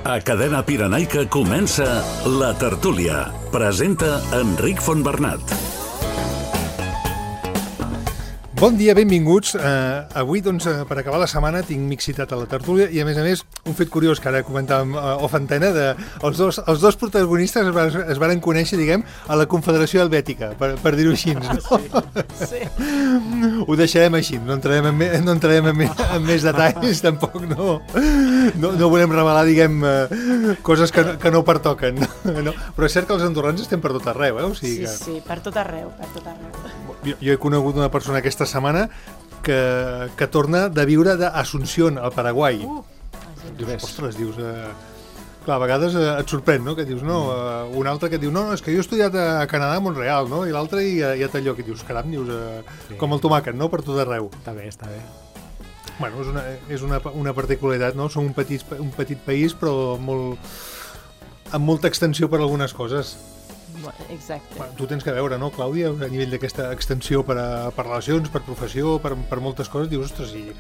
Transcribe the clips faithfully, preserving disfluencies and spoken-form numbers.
A Cadena Pirenaica comença La Tertúlia. Presenta Enric Fontbernat. Bon dia, benvinguts. Uh, avui, doncs, uh, per acabar la setmana, tinc mixitat a la tertúlia i, a més a més, un fet curiós que ara comentàvem uh, off antena, de, els, dos, els dos protagonistes es, va, es van conèixer, diguem, a la Confederació Helvètica, per, per dir-ho així, no? Sí, sí. Ho deixarem així, no entrarem en, me, no entrarem en, me, en més detalls, tampoc no, no, no volem revelar, diguem, uh, coses que, que no pertoquen, no? Però és cert que els andorrans estem per tot arreu, eh? O sigui que... Sí, sí, per tot arreu, per tot arreu. Jo, jo he conegut una persona aquesta setmana que, que torna de viure d'Asunción, al Paraguai. Uh, dius, ostres, dius... Eh... Clar, a vegades eh, et sorprèn, no?, que dius, no, eh, un altre que et diu, no, és que jo he estudiat a Canadà, a Montreal, no?, i l'altre i ja, ja t'allò, que dius, caram, dius, eh, sí. Com el tomàquet, no?, per tot arreu. Està bé, està bé. Bueno, és una, és una, una particularitat, no?, som un petit, un petit país, però molt, amb molta extensió per algunes coses. Exacte. Bueno, tu tens que veure, no, Clàudia, a nivell d'aquesta extensió per, a, per relacions, per professió, per, per moltes coses, dius, ostres, i,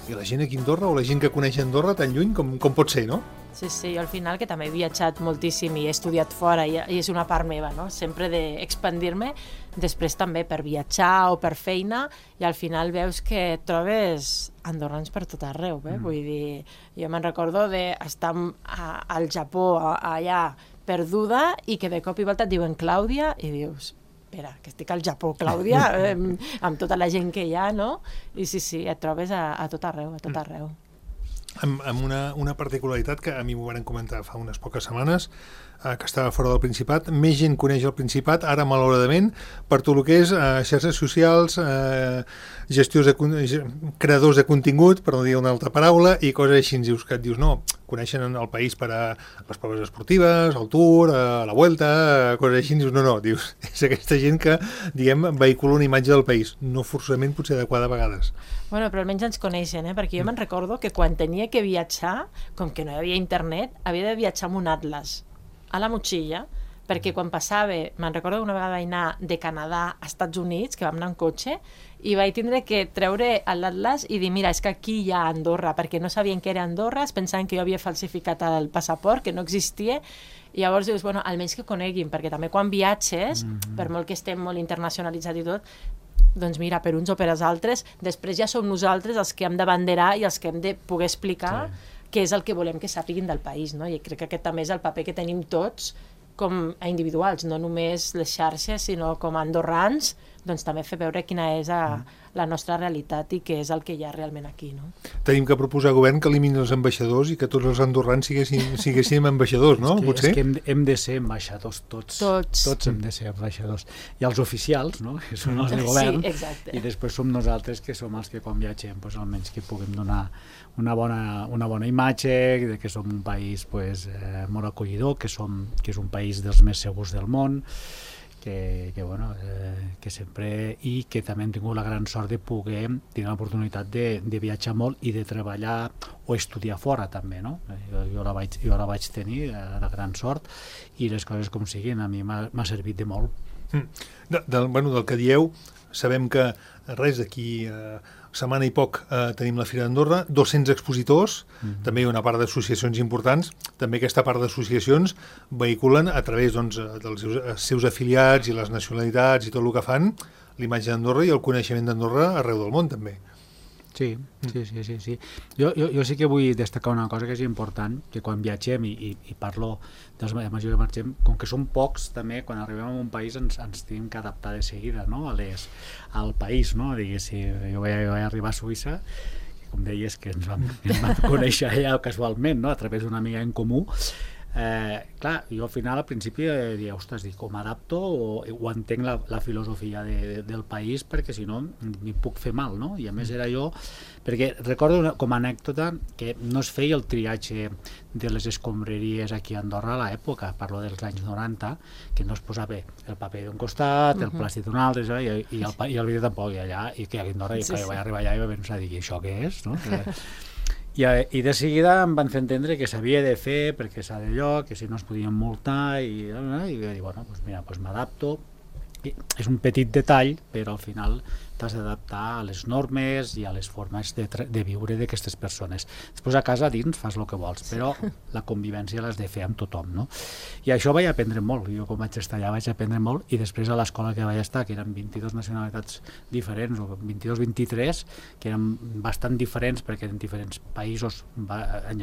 i la gent aquí a Andorra, o la gent que coneix Andorra tan lluny, com, com pot ser, no? Sí, sí, jo al final, que també he viatjat moltíssim i he estudiat fora, i, i és una part meva, no?, sempre d'expandir-me, després també per viatjar o per feina, i al final veus que trobes andorrans per tot arreu, eh? Mm. Vull dir, jo me'n recordo d'estar al Japó, a, allà, perduda, i que de cop i volta et diuen Clàudia, i dius, espera, que estic al Japó, Clàudia, eh, amb tota la gent que hi ha, no? I sí, sí, et trobes a, a tot arreu, a tot arreu. Amb, amb una, una particularitat que a mi m'ho van comentar fa unes poques setmanes, eh, que estava fora del Principat. Més gent coneix el Principat, ara malauradament, per tot el que és eh, xarxes socials, eh, gestiors de, creadors de contingut, per no dir una altra paraula, i coses així, dius, que et dius, no, coneixen el país per a les proves esportives, el Tour, a la Vuelta, coses així, dius, no, no, dius, és aquesta gent que, diguem, vehicula una imatge del país, no forçament potser adequada a vegades. Bueno, però almenys ens coneixen, eh? Perquè jo me'n recordo que quan tenia que viatjar, com que no hi havia internet, havia de viatjar amb un atlas a la motxilla, perquè quan passava, me'n recordo que una vegada vaig anar de Canadà a Estats Units, que vam anar en cotxe, i vaig tindre que treure l'atlas i dir, mira, és que aquí hi ha Andorra, perquè no sabien que era Andorra, es pensaven que jo havia falsificat el passaport, que no existia, i llavors dius, bueno, almenys que coneguin, perquè també quan viatges, mm-hmm. per molt que estem molt internacionalitzats i tot, doncs mira, per uns o per als altres, després ja som nosaltres els que hem de banderar i els que hem de poder explicar sí. què és el que volem que sàpiguin del país, no? I crec que aquest també és el paper que tenim tots com a individuals, no només les xarxes, sinó com a andorrans, doncs també fer veure quina és a, la nostra realitat i què és el que hi ha realment aquí, no? Tenim que proposar al govern que elimini els ambaixadors i que tots els andorrans siguéssim, siguéssim ambaixadors, no? És que, Potser? És que hem, hem de ser ambaixadors tots. Tots. Tots hem de ser ambaixadors. I els oficials, no?, que són els de govern, sí, exacte. I després som nosaltres que som els que quan viatgem, doncs, almenys que puguem donar una bona, una bona imatge, de que som un país pues, eh, molt acollidor, que, som, que és un país dels més segurs del món, que, que, bueno, eh, que sempre, i que també hem tingut la gran sort de poder tenir l'oportunitat de, de viatjar molt i de treballar o estudiar fora també, no? Jo, jo, la, vaig, jo la vaig tenir, la gran sort, i les coses com siguin a mi m'ha servit de molt. Mm. De, del, bueno, del que dieu, sabem que res d'aquí eh, setmana i poc eh, tenim la Fira d'Andorra, dos-cents expositors, mm-hmm. també hi ha una part d'associacions importants, també aquesta part d'associacions vehiculen a través doncs, dels seus, seus afiliats i les nacionalitats i tot el que fan, l'imatge d'Andorra i el coneixement d'Andorra arreu del món també. Sí, sí, sí, sí, sí. Jo, jo, jo sí que vull destacar una cosa que és important, que quan viatgem, i, i, i parlo dels majors que marxem, com que som pocs també, quan arribem a un país ens, ens tenim que adaptar de seguida, no?, a les, al país, no? Diguéssim, jo vaig, vaig arribar a Suïssa, i com deies que ens vam, ens vam conèixer allà casualment, no?, a través d'una amiga en comú. Eh, clar, jo al final al principi eh, diia, ostres, dic, com adapto o, o entenc la, la filosofia de, de, del país, perquè si no m'hi puc fer mal, no? I a més era jo, perquè recordo una, com a anècdota que no es feia el triatge de les escombraries aquí a Andorra a l'època, parlo dels anys noranta, que no es posava el paper d'un costat, el plàstic d'un altre, i, i, el, i el vidre tampoc, i allà, i que a Andorra, i que jo vaig arribar allà i vaig pensar, dic, això què és, no? I, I de seguida em van fer entendre que s'havia de fer perquè s'ha de lloc, que si no es podien multar, i, i vaig dir, bueno, doncs mira, doncs m'adapto. És un petit detall, però al final t'has d'adaptar a les normes i a les formes de, de viure d'aquestes persones. Després a casa dins fas el que vols, però la convivència l'has de fer amb tothom, no? I això vaig aprendre molt, jo com vaig estar allà vaig aprendre molt, i després a l'escola que vaig estar, que eren vint-i-dues nacionalitats diferents, o vint-i-dos vint-i-tres, que eren bastant diferents perquè eren diferents països va,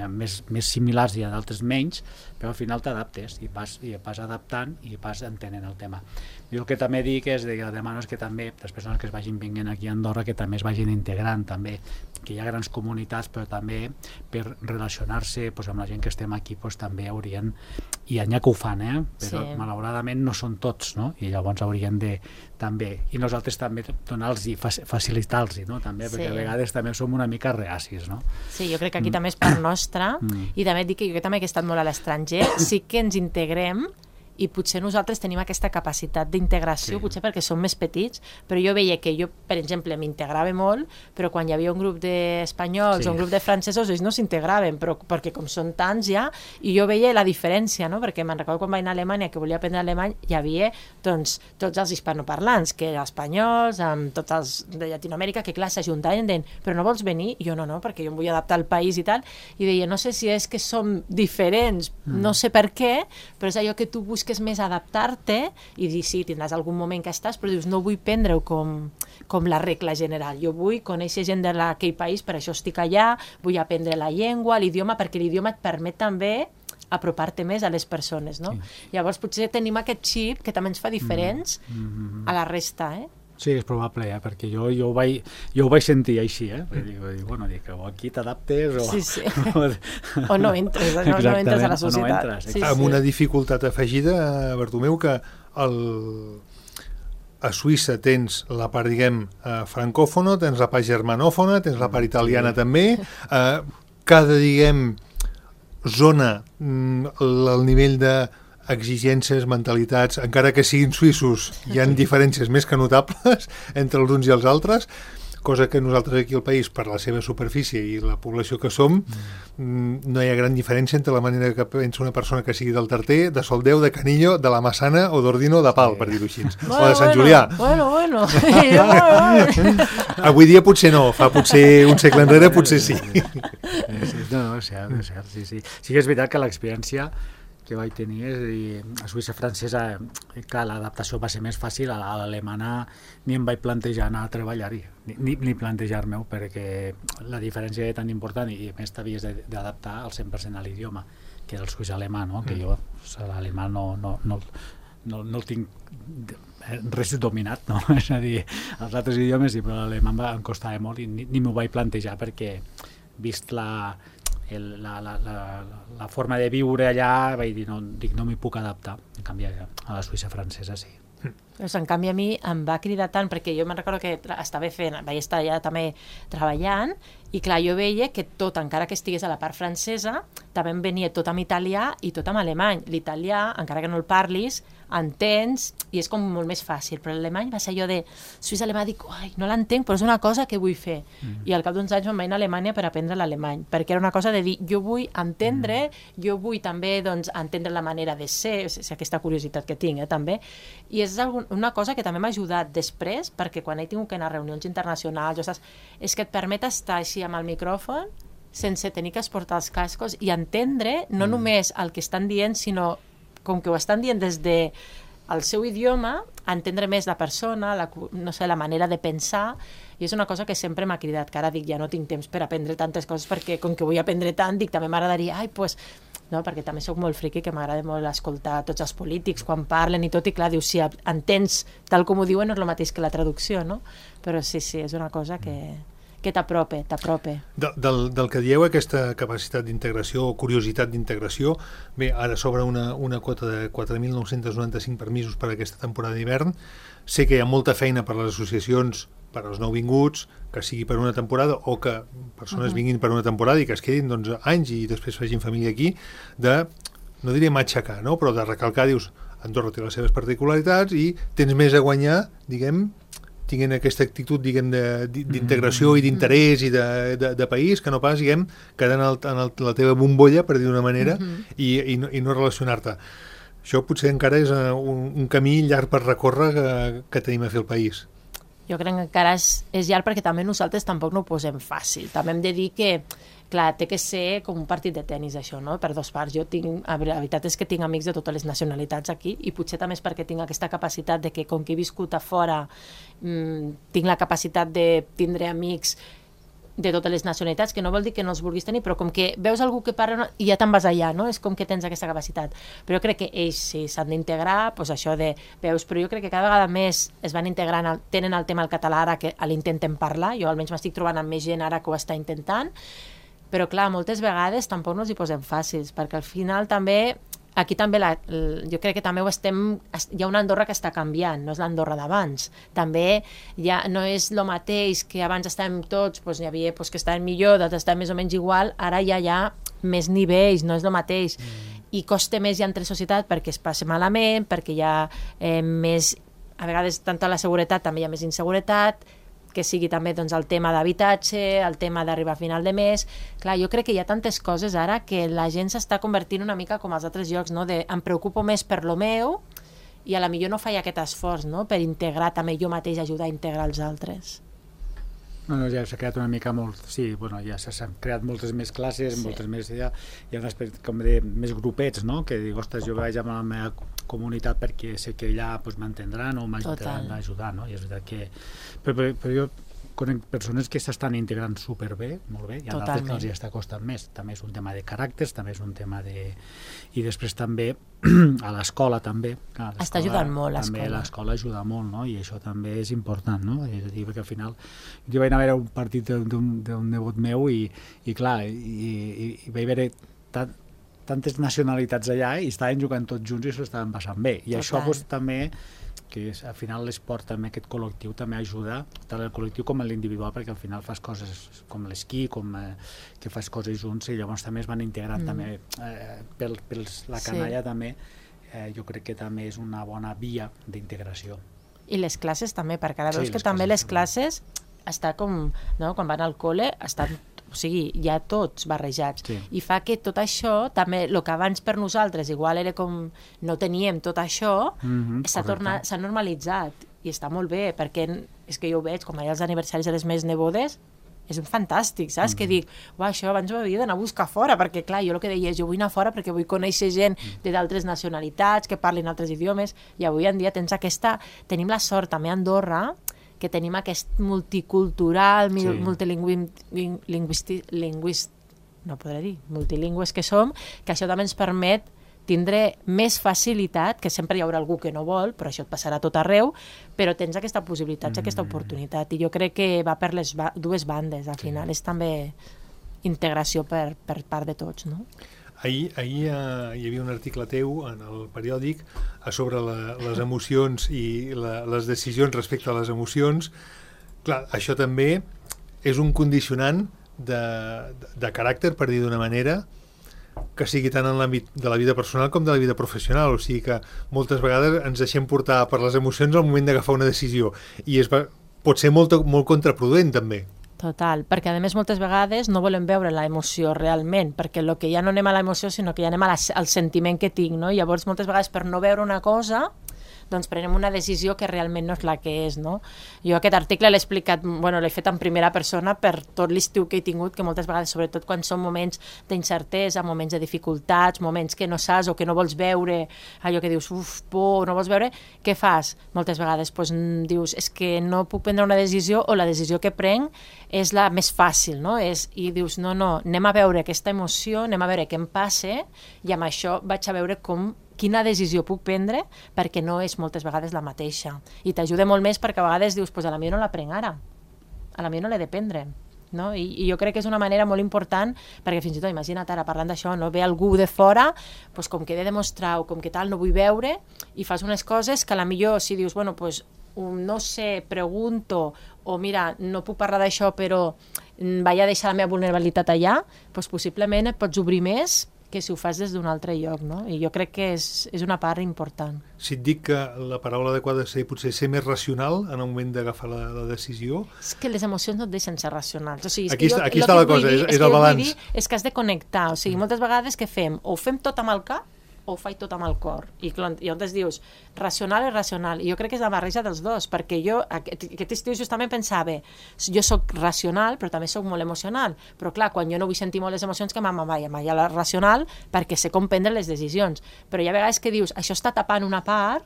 més, més similars i a d'altres menys, però al final t'adaptes i vas, i vas adaptant i vas entenent el tema. Jo el que també dic és que demano és que també les persones que es vagin vinguent aquí a Andorra que també es vagin integrant també, que hi ha grans comunitats, però també per relacionar-se pues, amb la gent que estem aquí pues, també haurien, i n'hi ha que ho fan, eh? Però sí. Malauradament no són tots, no? I llavors haurien de també, i nosaltres també donar-los i facilitar-los, no? També, perquè sí. A vegades també som una mica reacis, no? Sí, jo crec que aquí mm. també és part nostra, mm. i també dic que jo també que he estat molt a l'estranger, sí que ens integrem, i potser nosaltres tenim aquesta capacitat d'integració, sí. Potser perquè som més petits, però jo veia que jo, per exemple, m'integrava molt, però quan hi havia un grup d'espanyols sí. o un grup de francesos, ells no s'integraven, però perquè com són tants ja, i jo veia la diferència, no? Perquè me'n recordo quan vaig anar a Alemanya, que volia aprendre alemany, hi havia doncs, tots els hispanoparlants, que eren espanyols, amb tots els de Llatinoamèrica, que clar, s'ajuntaven, deien, però no vols venir? I jo no, no, perquè jo em vull adaptar al país i tal, i deia, no sé si és que som diferents, mm. no sé per què, però és allò que tu busques és més adaptar-te i dir, sí, tindràs algun moment que estàs, però dius, no vull prendre-ho com, com la regla general. Jo vull conèixer gent d'aquell país, per això estic allà, vull aprendre la llengua, l'idioma, perquè l'idioma et permet també apropar-te més a les persones, no? Sí. Llavors, potser tenim aquest xip que també ens fa diferents mm-hmm. a la resta, eh? Sí, és probable, eh? Perquè jo, jo, ho vaig, jo ho vaig sentir així, eh? Dic, dic, bueno, dic, o aquí t'adaptes o... Sí, sí. o no entres, no, no entres a la societat. No entres, sí, amb sí. Una dificultat afegida, Bartomeu, que el... a Suïssa tens la part, diguem, francòfona, tens la part germanòfona, tens la part italiana sí. també, eh, cada, diguem, zona, el nivell de exigències, mentalitats, encara que siguin suïssos, hi ha diferències més que notables entre els uns i els altres, cosa que nosaltres aquí al país, per la seva superfície i la població que som, mm. no hi ha gran diferència entre la manera que pensa una persona que sigui del Tarter, de Soldeu, de Canillo, de la Massana o d'Ordino de Pal, sí. Per dir-ho així, bueno, o de Sant bueno, Julià. Bueno, bueno. Avui dia potser no, fa potser un segle enrere potser sí. No, no, és cert, és cert, sí, sí. Sí que és veritat que l'experiència que vaig tenir és dir, a Suïssa francesa, clar, l'adaptació va ser més fàcil, a l'alemana ni em vaig plantejar anar a treballar-hi, ni, ni plantejar-me-ho, perquè la diferència era tan important i a més t'havies d'adaptar al cent per cent a l'idioma, que era el suïssa alemà, no? Que jo l'alemà no, no, no, no, no el tinc res dominat, no? És a dir, els altres idiomes sí, però l'alemà em costava molt i ni, ni m'ho vaig plantejar perquè vist la... El, la, la, la, la forma de viure allà, vaig dir, no, dic, no m'hi puc adaptar. En canvi, a la Suïssa francesa sí. Pues, en canvi, a mi em va cridar tant, perquè jo me'n recordo que estava fent, vaig estar allà també treballant, i clar, jo veia que tot, encara que estigués a la part francesa, també em venia tot amb italià i tot amb alemany. L'italià, encara que no el parlis, entens, i és com molt més fàcil, però l'alemany va ser allò de suïssa alemà, dic, ai, no l'entenc, però és una cosa que vull fer. Mm. I al cap d'uns anys em vaig anar a Alemanya per aprendre l'alemany, perquè era una cosa de dir, jo vull entendre, mm. jo vull també doncs, entendre la manera de ser, o sigui, aquesta curiositat que tinc, eh, també, i és una cosa que també m'ha ajudat després, perquè quan he tingut que anar a reunions internacionals, jo saps, és que et permet estar així amb el micròfon, sense tenir que esportar els cascos i entendre no mm. només el que estan dient, sinó com que ho estan dient des de el seu idioma, entendre més la persona, la, no sé, la manera de pensar, i és una cosa que sempre m'ha cridat, que ara dic, ja no tinc temps per aprendre tantes coses, perquè com que vull aprendre tant, dic, també m'agradaria, ai, pues, no, perquè també sóc molt friqui, que m'agrada molt escoltar tots els polítics quan parlen i tot, i clar, dius, si entens tal com ho diuen, no és el mateix que la traducció, no? Però sí, sí, és una cosa que... que t'aprope, t'aprope. De, del, del que dieu, aquesta capacitat d'integració o curiositat d'integració, bé, ara s'obre una, una quota de quatre mil nou-cents noranta-cinc permisos per a aquesta temporada d'hivern. Sé que hi ha molta feina per a les associacions, per als nouvinguts, que sigui per una temporada o que persones uh-huh. vinguin per una temporada i que es quedin doncs, anys i després facin família aquí, de, no diria matxacar, no? Però de recalcar, dius, Andorra té les seves particularitats i tens més a guanyar, diguem, tinguin aquesta actitud, diguem, d'integració i d'interès i de, de, de país, que no pas, diguem, quedar en, el, en el, la teva bombolla, per dir d'una manera, uh-huh. i, i, no, i no relacionar-te. Això potser encara és un, un camí llarg per recórrer que, que tenim a fer el país. Jo crec que encara és, és llarg perquè també nosaltres tampoc no ho posem fàcil. També hem de dir que, clar, té que ser com un partit de tennis, això, no? Per dos parts. Jo tinc, la veritat és que tinc amics de totes les nacionalitats aquí i potser també és perquè tinc aquesta capacitat de que, com que he viscut a fora, mmm, tinc la capacitat de tindre amics de totes les nacionalitats, que no vol dir que no els vulguis tenir, però com que veus algú que parla i ja te'n vas allà, no? És com que tens aquesta capacitat. Però jo crec que ells sí s'han d'integrar, doncs això de veus, però jo crec que cada vegada més es van integrant, el, tenen el tema del català ara que l'intenten parlar, jo almenys m'estic trobant amb més gent ara que ho està intentant, però clar, moltes vegades tampoc no els hi posem fàcils, perquè al final també aquí també la, jo crec que també ho estem, hi ha una Andorra que està canviant, no és l'Andorra d'abans. També ja no és el mateix que abans estàvem tots, doncs hi havia doncs, que estaven millor, d'altres estaven més o menys igual, ara ja hi ha més nivells, no és el mateix. Mm. I costa més ja entre societat perquè es passa malament, perquè hi ha eh, més, a vegades tant a la seguretat també hi ha més inseguretat, que sigui també doncs, el tema d'habitatge, el tema d'arribar a final de mes. Clar, jo crec que hi ha tantes coses ara que la gent s'està convertint una mica com als altres llocs, no? De, em preocupo més per lo meu i a la millor no faig aquest esforç, no? Per integrar també jo mateix, ajudar a integrar els altres. No, no, ja s'ha creat una mica molt, sí, bueno, ja s'han creat moltes més classes, sí. moltes més, ja, hi ha un aspecte com de més grupets, no? Que dic, ostres, jo vaig amb la meva comunitat perquè sé que allà pues, m'entendran o m'ajudaran a ajudar, no? I és veritat que... Però, però, però jo conec persones que s'estan integrant superbé, molt bé, i a d'altres que els hi està costant més. També és un tema de caràcters, també és un tema de... I després també a l'escola també. Clar, està ajudant molt l'escola. També l'escola ajuda molt, no? I això també és important, no? És a dir, perquè al final... Jo vaig anar a veure un partit d'un nebot meu i, i clar, i, i, i vaig veure tant, tantes nacionalitats allà i estaven jugant tots junts i s'ho estaven passant bé. I Total. Això pues, també... que és, al final l'esport també, aquest col·lectiu també ajuda, tant el col·lectiu com l'individual, perquè al final fas coses com l'esquí, com eh, que fas coses junts i llavors també es van integrant mm. també eh, pel, pels, la canalla sí. també, eh, jo crec que també és una bona via d'integració. I les classes també, perquè ara veus sí, que també les classes està com, no, quan van al col·le, estan o sigui, ja tots barrejats. Sí. I fa que tot això, també, el que abans per nosaltres igual era com no teníem tot això, mm-hmm, s'ha tornat, s'ha normalitzat i està molt bé, perquè és que jo ho veig, com allà els aniversaris de les meves nebodes, és fantàstic, saps? Mm-hmm. Que dic, uah, això abans ho havia d'anar a buscar fora, perquè clar, jo el que deia és, jo vull anar fora perquè vull conèixer gent de d'altres nacionalitats, que parlin altres idiomes, i avui en dia tens aquesta... Tenim la sort també a Andorra que tenim aquest multicultural, sí. multilingüístic, linguist, no podré dir, multilingües que som, que això també ens permet tindre més facilitat, que sempre hi haurà algú que no vol, però això et passarà a tot arreu, però tens aquesta possibilitat, mm. aquesta oportunitat, i jo crec que va per les ba- dues bandes, al final, sí. És també integració per, per part de tots, no? Ahir, ahir eh, hi havia un article teu en el periòdic sobre la, les emocions i la, les decisions respecte a les emocions. Clar, això també és un condicionant de, de, de caràcter, per dir d'una manera, que sigui tant en l'àmbit de la vida personal com de la vida professional. O sigui que moltes vegades ens deixem portar per les emocions al moment d'agafar una decisió i es va, pot ser molt, molt contraproduent també. Total, perquè a més moltes vegades no volem veure la emoció realment, perquè el que ja no anem a la emoció sinó que ja anem a la, al sentiment que tinc, no? I llavors moltes vegades per no veure una cosa doncs prenem una decisió que realment no és la que és, no? Jo aquest article l'he explicat, bueno, l'he fet en primera persona per tot l'estiu que he tingut, que moltes vegades, sobretot quan són moments d'incertesa, moments de dificultats, moments que no saps o que no vols veure, allò que dius, uf, por, no vols veure, què fas? Moltes vegades doncs, dius, és que no puc prendre una decisió o la decisió que prenc és la més fàcil, no? És, i dius, no, no, anem a veure aquesta emoció, anem a veure què em passa i amb això vaig a veure com quina decisió puc prendre, perquè no és moltes vegades la mateixa. I t'ajuda molt més perquè a vegades dius, pues a la millor no la prenc ara, a la millor no l'he de prendre. No? I, I jo crec que és una manera molt important, perquè fins i tot, imagina't ara, parlant d'això, no? Ve algú de fora, pues com que he de demostrar o com que tal no vull veure, i fas unes coses que a la millor, si dius, bueno, pues, no sé, pregunto, o mira, no puc parlar d'això, però vaig a deixar la meva vulnerabilitat allà, pues possiblement et pots obrir més que si ho fas des d'un altre lloc, no? I jo crec que és, és una part important. Si et dic que la paraula adequada és potser ser més racional en el moment d'agafar la, la decisió... És que les emocions no et deixen ser racionals. O sigui, és aquí que jo, està, aquí està la cosa, dir, és, és el balanç. Dir, és que has de connectar. O sigui, moltes vegades què fem? O ho fem tot amb el cap, o ho faig tot amb el cor? I, i llavors dius, racional és racional. I jo crec que és la barreja dels dos, perquè jo aquest, aquest estiu justament pensava, jo sóc racional, però també sóc molt emocional. Però clar, quan jo no vull sentir molt les emocions, que m'amaia, m'amaia la racional, perquè sé com prendre les decisions. Però hi ha vegades que dius, això està tapant una part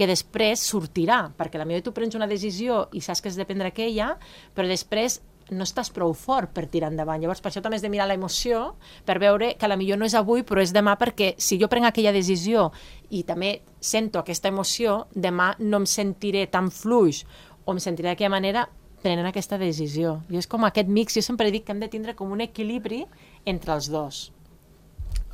que després sortirà, perquè potser tu prens una decisió i saps que has de prendre aquella, però després no estàs prou fort per tirar endavant. Llavors, per això també has de mirar l'emoció, per veure que potser no és avui, però és demà, perquè si jo prenc aquella decisió i també sento aquesta emoció, demà no em sentiré tan fluix o em sentiré d'aquella manera prenent aquesta decisió. I és com aquest mix, jo sempre dic que hem de tindre com un equilibri entre els dos.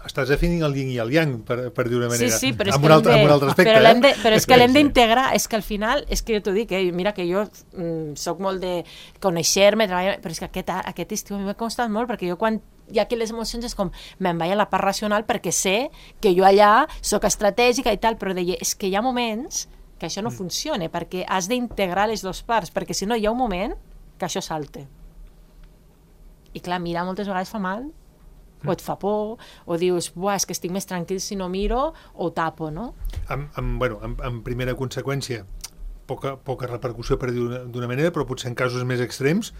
Estàs definint el yin i el yang, per, per dir una manera. Sí, sí, però és amb que un altre, de, amb un altre aspecte. Però, eh? de, però és que l'hem d'integrar, és que al final, és que jo t'ho dic, eh, mira que jo mm, soc molt de conèixer-me, treballar, però és que aquest, aquest estiu a mi m'ha costat molt, perquè jo quan hi ha aquí les emocions és com, me'n vaig a la part racional perquè sé que jo allà soc estratègica i tal, però deia, és que hi ha moments que això no mm. funciona, perquè has d'integrar les dues parts, perquè si no hi ha un moment que això salte. I clar, mirar moltes vegades fa mal, o et fa por, o dius, buah, és que estic més tranquil si no miro, o ho tapo, no? Amb, amb, bueno, amb, amb primera conseqüència, poca, poca repercussió per dir d'una manera, però potser en casos més extrems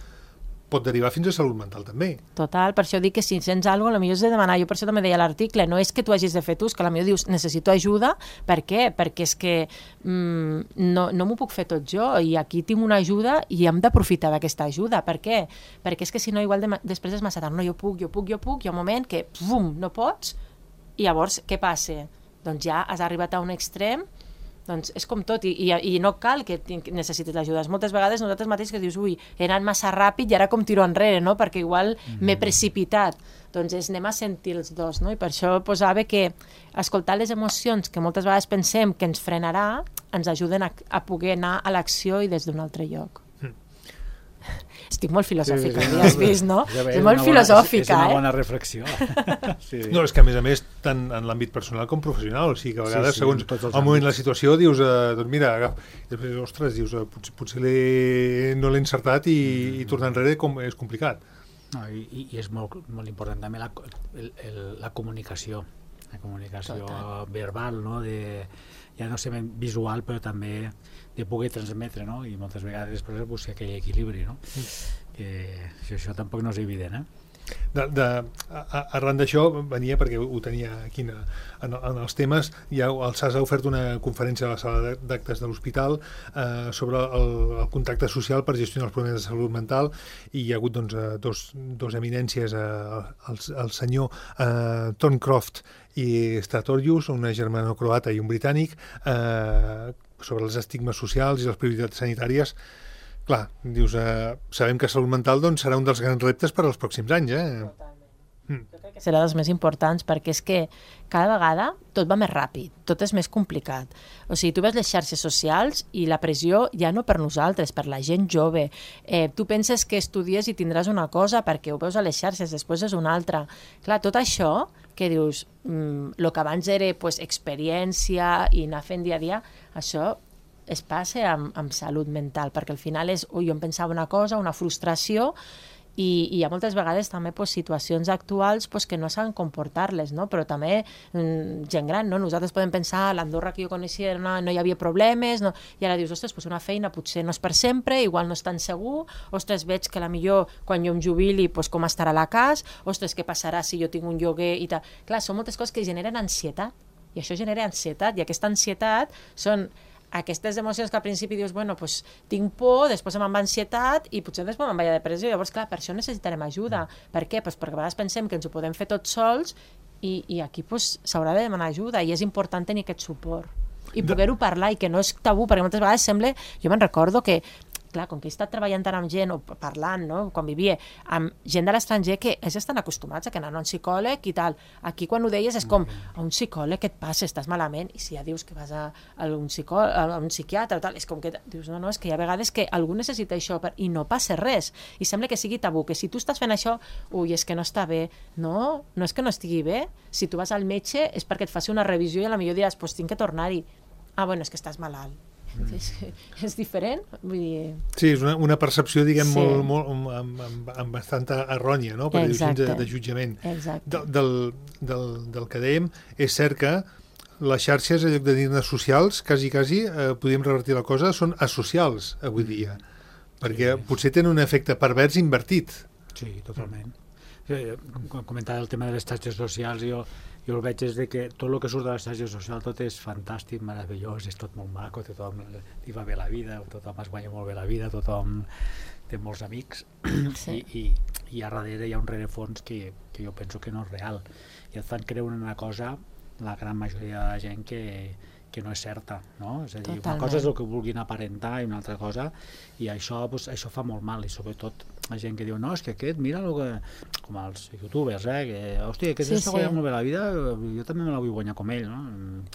pot derivar fins a salut mental també. Total, per això dic que si sents alguna cosa, potser has de demanar, jo per això també deia l'article, no és que tu hagis de fer tu, és que potser dius, necessito ajuda, per què? Perquè és que mm, no, no m'ho puc fer tot jo, i aquí tinc una ajuda i hem d'aprofitar d'aquesta ajuda, per què? Perquè és que si no, igual de, després és massa tard, no, jo puc, jo puc, jo puc, hi ha un moment que, bum, no pots, i llavors, què passa? Doncs ja has arribat a un extrem, doncs és com tot, i, i, i no cal que necessitis l'ajuda. Moltes vegades nosaltres mateixos que dius, ui, he anat massa ràpid i ara com tiro enrere, no? Perquè igual mm-hmm. m'he precipitat. Doncs és, anem a sentir els dos, no? I per això posava que escoltar les emocions que moltes vegades pensem que ens frenarà, ens ajuden a, a poder anar a l'acció i des d'un altre lloc. Estic molt filosòfica, sí, sí, ja has vist, no? Ja és molt filosòfica, és, és una eh? bona reflexió. Sí, sí. No, és que a més a més, tant en l'àmbit personal com professional, o sigui que a vegades, sí, sí, segons el moment, la situació, dius, eh, doncs mira, agaf, després, ostres, dius, eh, potser, potser no l'he encertat i, mm. i tornar enrere com, és complicat. No, i, i és molt, molt important també la, el, el, la comunicació, la comunicació Total. verbal, no? De, ja no sé ben visual, però també de poder transmetre, no? I moltes vegades després buscar aquell equilibri, no? Mm. Que això, això tampoc no és evident, eh? De, de, a, arran d'això venia perquè ho tenia aquí en, en, en els temes, ja el S A S ha ofert una conferència a la sala d'actes de l'hospital eh, sobre el, el contacte social per gestionar els problemes de salut mental, i hi ha hagut doncs, dos, dos eminències, eh, el, el senyor eh, Tom Croft i Stratorius, una germano-croata i un britànic, eh, sobre els estigmes socials i les prioritats sanitàries. Clar, dius, eh, sabem que salut mental doncs, serà un dels grans reptes per als pròxims anys. Eh? Totalment. Mm. Jo crec que serà dels més importants, perquè és que cada vegada tot va més ràpid, tot és més complicat. O sigui, tu ves les xarxes socials i la pressió ja no per nosaltres, per la gent jove. Eh, tu penses que estudies i tindràs una cosa perquè ho veus a les xarxes, després és una altra. Clar, tot això que dius, el mm, que abans era pues, experiència i anar fent dia a dia, això es passa amb, amb salut mental, perquè al final és, ui, jo em pensava una cosa, una frustració, i, i hi ha moltes vegades també pues, situacions actuals pues, que no saben comportar-les, no? Però també mm, gent gran, no? Nosaltres podem pensar, a l'Andorra que jo coneixia no, no hi havia problemes, no? I ara dius, ostres, pues una feina potser no és per sempre, igual no és tan segur, ostres, veig que la millor quan jo em jubili, pues, com estarà la casa, ostres, què passarà si jo tinc un lloguer i tal. Clar, són moltes coses que generen ansietat, i això genera ansietat, i aquesta ansietat són aquestes emocions que al principi dius, bueno, pues, tinc por, després me'n va ansietat i potser després me'n va a depressió. Llavors, clar, per això necessitarem ajuda. Per què? Pues perquè a vegades pensem que ens ho podem fer tots sols i, i aquí pues, s'haurà de demanar ajuda, i és important tenir aquest suport i poder-ho parlar, i que no és tabú, perquè moltes vegades sembla, jo me'n recordo que clar, com que he estat treballant tant amb gent o parlant, no? Quan vivia amb gent de l'estranger que ells estan acostumats a que anen a un psicòleg i tal. Aquí quan ho deies és com, a un psicòleg què et passa? Estàs malament? I si ja dius que vas a, a, un, psicòleg, a un psiquiatre o tal, és com que dius, no, no, és que hi ha vegades que algú necessita això per, i no passa res. I sembla que sigui tabú, que si tu estàs fent això, ui, és que no està bé. No, no és que no estigui bé. Si tu vas al metge és perquè et faci una revisió i a la millor diràs, pues tinc que tornar-hi. Ah, bueno, és que estàs malalt. Mm. És, és diferent, vull dir... Sí, és una, una percepció, diguem, sí. molt, molt, amb, amb, amb bastanta errònia, no? Per dir-ho de, de jutjament. Exacte. De, del, del, del que dèiem, és cert que les xarxes, en lloc de dir-ne socials, quasi, quasi, eh, podríem revertir la cosa, són asocials avui dia, perquè Sí. potser tenen un efecte pervers invertit. Sí, totalment. Eh, com comentava el tema de les xarxes socials, jo, jo el veig és de que tot el que surt de les xarxes socials tot és fantàstic, meravellós, és tot molt maco, tothom li va bé la vida, tothom es guanya molt bé la vida, tothom té molts amics, Sí. i, i, i a darrere hi ha un rerefons que, que jo penso que no és real, i et fan creure una cosa la gran majoria de la gent que, que no és certa, no? És a dir, Totalment. una cosa és el que vulguin aparentar i una altra cosa, i això, doncs, això fa molt mal, i sobretot la gent que diu, no, és que aquest, mira el que... com els youtubers, eh, que, hòstia, aquest Sí, s'està sí. guanyant molt bé la vida, jo també me la vull guanyar com ell, no?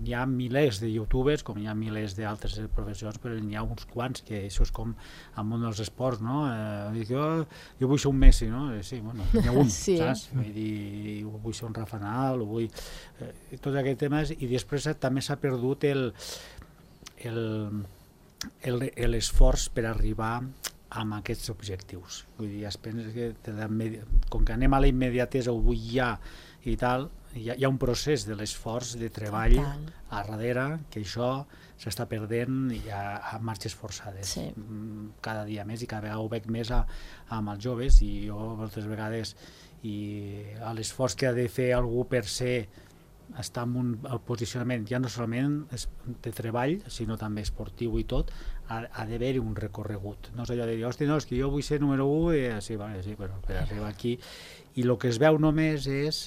Hi ha milers de youtubers, com hi ha milers d'altres professions, però n'hi ha uns quants que això és com al món dels esports, no? Eh, dic, jo, jo vull ser un Messi, no? Eh, sí, bueno, n'hi ha un, Sí. saps? Vull dir, vull ser un Rafa Nadal, vull... Eh, tots aquests temes, i després també s'ha perdut el el el- l'esforç per arribar amb aquests objectius. Vull dir, es pensa que te da medi- com que anem a la immediatesa, ho vull ja i tal, hi ha, hi ha un procés de l'esforç, de treball Total. a darrere, que això s'està perdent i a, a marxes forçades. Sí. Mm, cada dia més, i cada vegada ho veig més a, amb els joves, i jo moltes vegades i a l'esforç que ha de fer algú per ser estar en un el posicionament ja no solament és de treball sinó també esportiu i tot, ha, ha d'haver-hi un recorregut, no és allò de dir, hòstia, no, és que jo vull ser número u, i sí, vale, sí, però per arribar aquí, i el que es veu només és,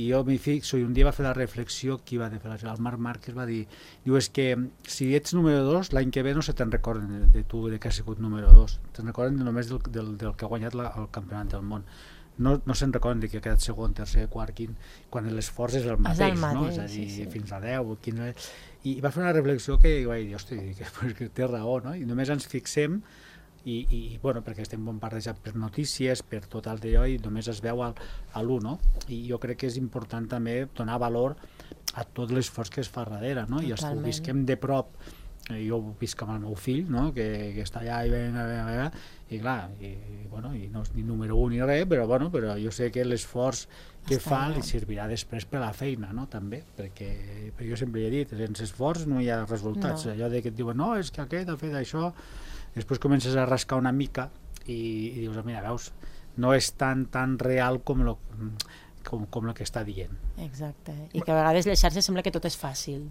i jo m'hi fixo, i un dia va fer la reflexió, qui va fer el Marc Márquez va dir, diu, és que si ets número dos, l'any que ve no se te'n recorden de, de tu de que has sigut número dos, te'n recorden només del, del, del que ha guanyat la, el campionat del món. No, no se'n recorden de que ha quedat segon, tercer, quart, quin, quan l'esforç és el mateix, És el no? mateix, És a dir, sí, sí. fins a deu, quinze... I va fer una reflexió que vaig dir, hosti, que, pues, que té raó, no? I només ens fixem, i, i bueno, perquè estem bombardejats per notícies, per tot el d'allò, i només es veu al, a l'u, no? I jo crec que és important també donar valor a tot l'esforç que es fa darrere, no? I els que ho Totalment. visquem de prop, eh, jo ho visc amb el meu fill, no? que, que està allà i venga, venga, venga, i clar, i, bueno, i no és ni número un ni res, però, bueno, però jo sé que l'esforç que Està fa allà. li servirà després per a la feina, no? També, perquè, perquè jo sempre he dit, sense esforç no hi ha resultats. No. Allò de que et diuen, no, és que aquest ha fet això, després comences a rascar una mica i, i dius, mira, veus, no és tan tan real com lo, com, com el que està dient. Exacte. I que a vegades les xarxes sembla que tot és fàcil.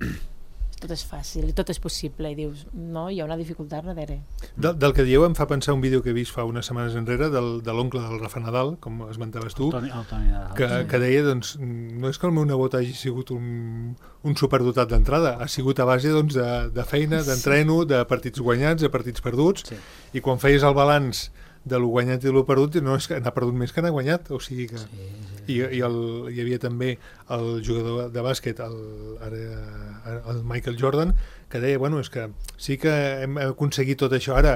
Tot és fàcil i tot és possible. I dius, no, hi ha una dificultat darrere. Del, del que dieu em fa pensar un vídeo que he vist fa unes setmanes enrere del, de l'oncle del Rafa Nadal, com esmentaves tu, El Toni, el Toni Nadal. que, que deia, doncs, no és que el meu nebot hagi sigut un, un superdotat d'entrada, ha sigut a base doncs, de, de feina, d'entreno, de partits guanyats, de partits perduts, Sí. i quan feies el balanç de lo guanyat i de lo perdut, no és que n'ha perdut més que n'ha guanyat, o sigui que... Sí, sí. I, i el, hi havia també el jugador de bàsquet, el, ara, el Michael Jordan, que deia, bueno, és que sí que hem aconseguit tot això, ara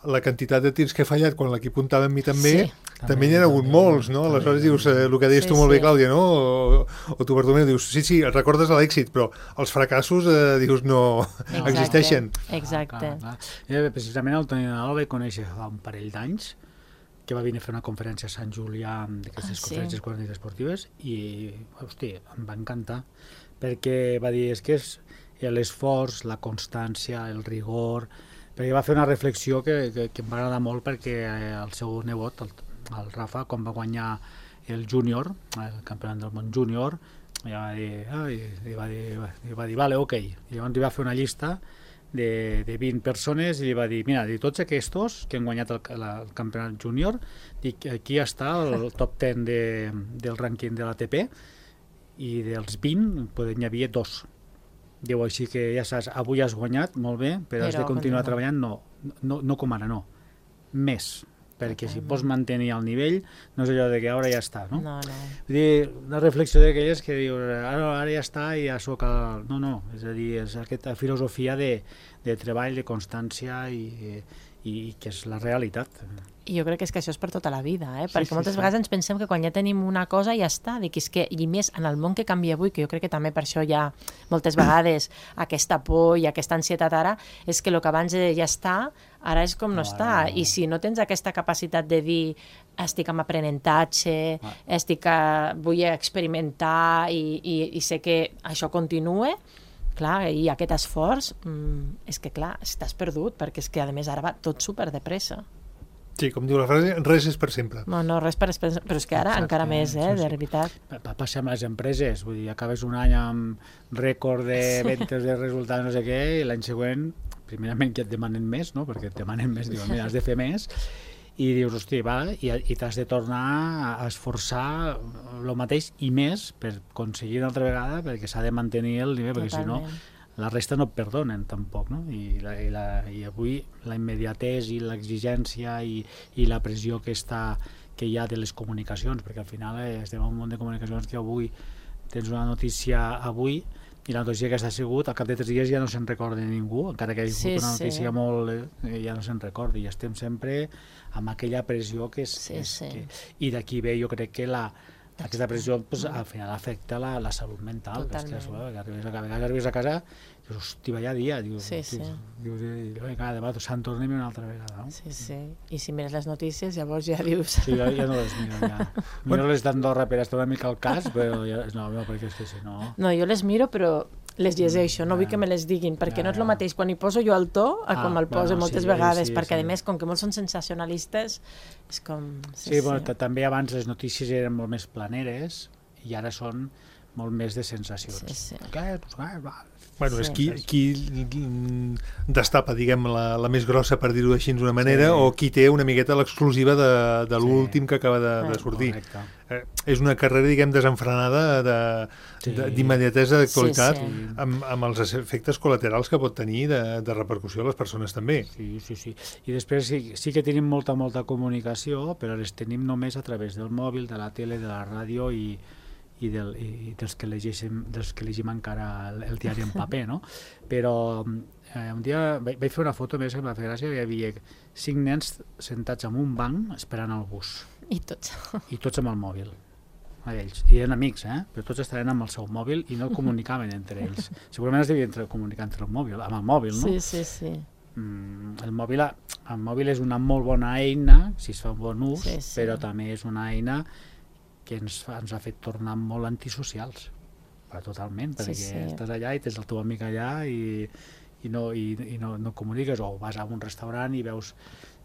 la quantitat de tirs que he fallat quan l'equip comptava amb mi també, Sí. també n'hi ha hagut molts, no? Aleshores dius, eh, el que deies Sí, tu molt bé, sí. Clàudia, no? O, o tu, Bartomeu, dius, sí, sí, recordes l'èxit, però els fracassos, eh, dius, no Exacte. existeixen. Exacte. Clar, clar. Eh, precisament el Toni Nadal el vaig conèixer fa un parell d'anys, que va venir a fer una conferència a Sant Julià d'aquestes Ah, sí? conferències quaranta esportives, i, hosti, em va encantar, perquè va dir, és que és l'esforç, la constància, el rigor, perquè va fer una reflexió que, que, que em va agradar molt, perquè el seu nebot, el, el Rafa, quan va guanyar el júnior, el campionat del món júnior, ja va dir, ah, i, i va dir, i va dir, vale, ok. I llavors li va fer una llista de, de vint persones i li va dir, mira, de tots aquests que han guanyat el, la, el campionat júnior, dic, aquí està el top deu de, del rànquing de l'A T P, i dels vint poden, hi havia dos. Diu, així que ja saps, avui has guanyat, molt bé, però, Però has de continuar continua. treballant, no, no, no com ara, no, més, perquè si vols mantenir el nivell, no és allò de que ara ja està, no? No, no. Vull dir, una reflexió d'aquelles que diu, ara, ara ja està i ja soc el... No, no, és a dir, és aquesta filosofia de, de treball, de constància i, i que és la realitat. I jo crec que és que això és per tota la vida, eh? Perquè sí, moltes sí. vegades ens pensem que quan ja tenim una cosa ja està, dic, és que, i més en el món que canvia avui, que jo crec que també per això hi ha moltes vegades aquesta por i aquesta ansietat ara, és que el que abans ja està, ara és com no, no està, no. I si no tens aquesta capacitat de dir estic en aprenentatge, ah. estic a, vull experimentar i, i, i sé que això continua, clar, i aquest esforç, mmm, és que clar, estàs perdut, perquè és que a més ara va tot super de pressa. Sí, com diu la frase, res és per sempre. No, no, res per sempre, però és que ara exacte, encara més, eh, sí, sí. De veritat. Va passar amb les empreses, vull dir, acabes un any amb rècord de ventes, de resultats, no sé què, i l'any següent, primerament que et demanen més, no?, perquè et demanen més, diuen, mira, has de fer més, i dius, hosti, va, i, i t'has de tornar a esforçar el mateix i més per aconseguir una altra vegada, perquè s'ha de mantenir el nivell, perquè si no la resta no et perdonen tampoc, no? I, la, i, la, i avui la immediatesa i l'exigència i, i la pressió que, està, que hi ha de les comunicacions, perquè al final eh, estem en un món de comunicacions que avui tens una notícia avui i la notícia que s'ha sigut, al cap de tres dies ja no se'n recorda ningú, encara que hi hagi sí, una notícia sí. molt... Eh, ja no se'n recorda, i estem sempre amb aquella pressió que és... Sí, és sí. que, i d'aquí ve, jo crec que la... aquesta pressió pues, al final afecta la, la salut mental. Totalment. És que, que arribes a, que arribes a casa dius, hosti, vaya dia, dius, sí, sí. dius, dius vinga, demà se'n tornem una altra vegada. No? Sí, sí, i si mires les notícies llavors ja dius... Sí, ja, ja no les miro, ja. Miro les d'Andorra per estar una mica al cas, però ja, no, no, perquè és que si no... No, jo les miro, però les llegeixo, no vull que me les diguin, perquè no és el mateix quan hi poso jo el to a ah, com el poso bueno, moltes sí, vegades, sí, perquè sí. A més, com que molts són sensacionalistes, és com... Sí, sí, bueno, sí. També abans les notícies eren molt més planeres i ara són molt més de sensacions. Sí, sí. Què? Pues, va, va. Bueno, sí. és qui, qui destapa, diguem, la, la més grossa, per dir-ho així d'una manera, sí. O qui té una miqueta l'exclusiva de, de l'últim sí. Que acaba de, de sortir. Eh, és una carrera, diguem, desenfrenada d'immediatesa de, d'actualitat, sí, sí. Amb, amb els efectes col·laterals que pot tenir de, de repercussió a les persones també. Sí, sí, sí. I després sí, sí que tenim molta, molta comunicació, però les tenim només a través del mòbil, de la tele, de la ràdio i i, del, i dels que llegeixem dels que llegim encara el, el diari en paper, no? Però eh, un dia vaig, vaig fer una foto més que em va fer gràcia, hi havia cinc nens sentats en un banc esperant el bus. I tots. I tots amb el mòbil. A ells. I eren amics, eh? Però tots estaven amb el seu mòbil i no comunicaven entre ells. Segurament es devien comunicar entre el mòbil, amb el mòbil, no? Sí, sí, sí. Mm, el, mòbil, el mòbil és una molt bona eina, si es fa un bon ús, sí, sí. Però també és una eina que ens, fa, ens ha fet tornar molt antisocials, però totalment, perquè sí, sí. Estàs allà i tens el teu amic allà i, i, no, i, i no, no comuniques, o vas a un restaurant i veus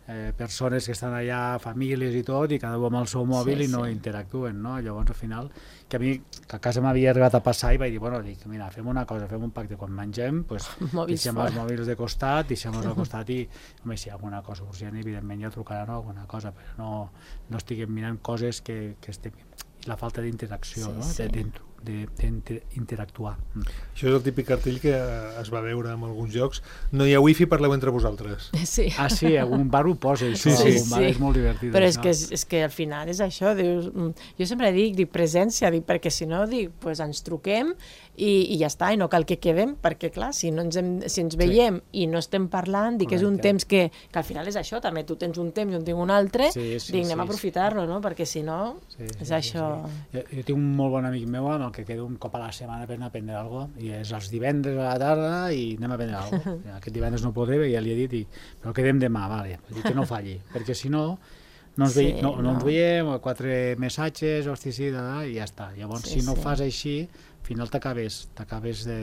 eh, persones que estan allà, famílies i tot, i cada un amb el seu mòbil sí, i no sí. Interactuen, no? Llavors al final, que a mi, que a casa m'havia arribat a passar i vaig dir, bueno, dic, mira, fem una cosa, fem un pacte, quan mengem, pues, deixem els mòbils de costat, deixem-los al costat i, home, si hi ha alguna cosa urgent, evidentment ja trucaran o alguna cosa, però no, no estiguem mirant coses que, que estem... la falta d'interacció, sí, no? Sí. D'interactuar. Això és el típic cartell que es va veure en alguns jocs. No hi ha wifi, parleu entre vosaltres. Sí. Ah, sí, algun bar ho posa, això. Sí, sí. Algun bar sí. És molt divertit. Però és que, és, és que al final és això. Dius, jo sempre dic, dic presència, dic, perquè si no, dic, pues ens truquem i, i ja està, i no cal que quedem, perquè clar, si, no ens, hem, si ens veiem sí. I no estem parlant, dic que és un temps que, que al final és això, també tu tens un temps i un tinc un altre, sí, sí, dic, anem sí, a aprofitar-lo, no? Perquè si no, sí, sí, és això... Sí, sí. Jo, jo tinc un molt bon amic meu amb el que quedo un cop a la setmana per anar a prendre alguna cosa, i és els divendres a la tarda i anem a prendre alguna cosa. Aquest divendres no podré, ja li he dit, i, però quedem demà, vale, dic que no falli, perquè si no, no ens, sí, veiem, no, no. no ens veiem, quatre missatges, hosti, sí, da, da, i ja està. Llavors, sí, si no sí. Fas així, al final t'acabes, t'acabes de...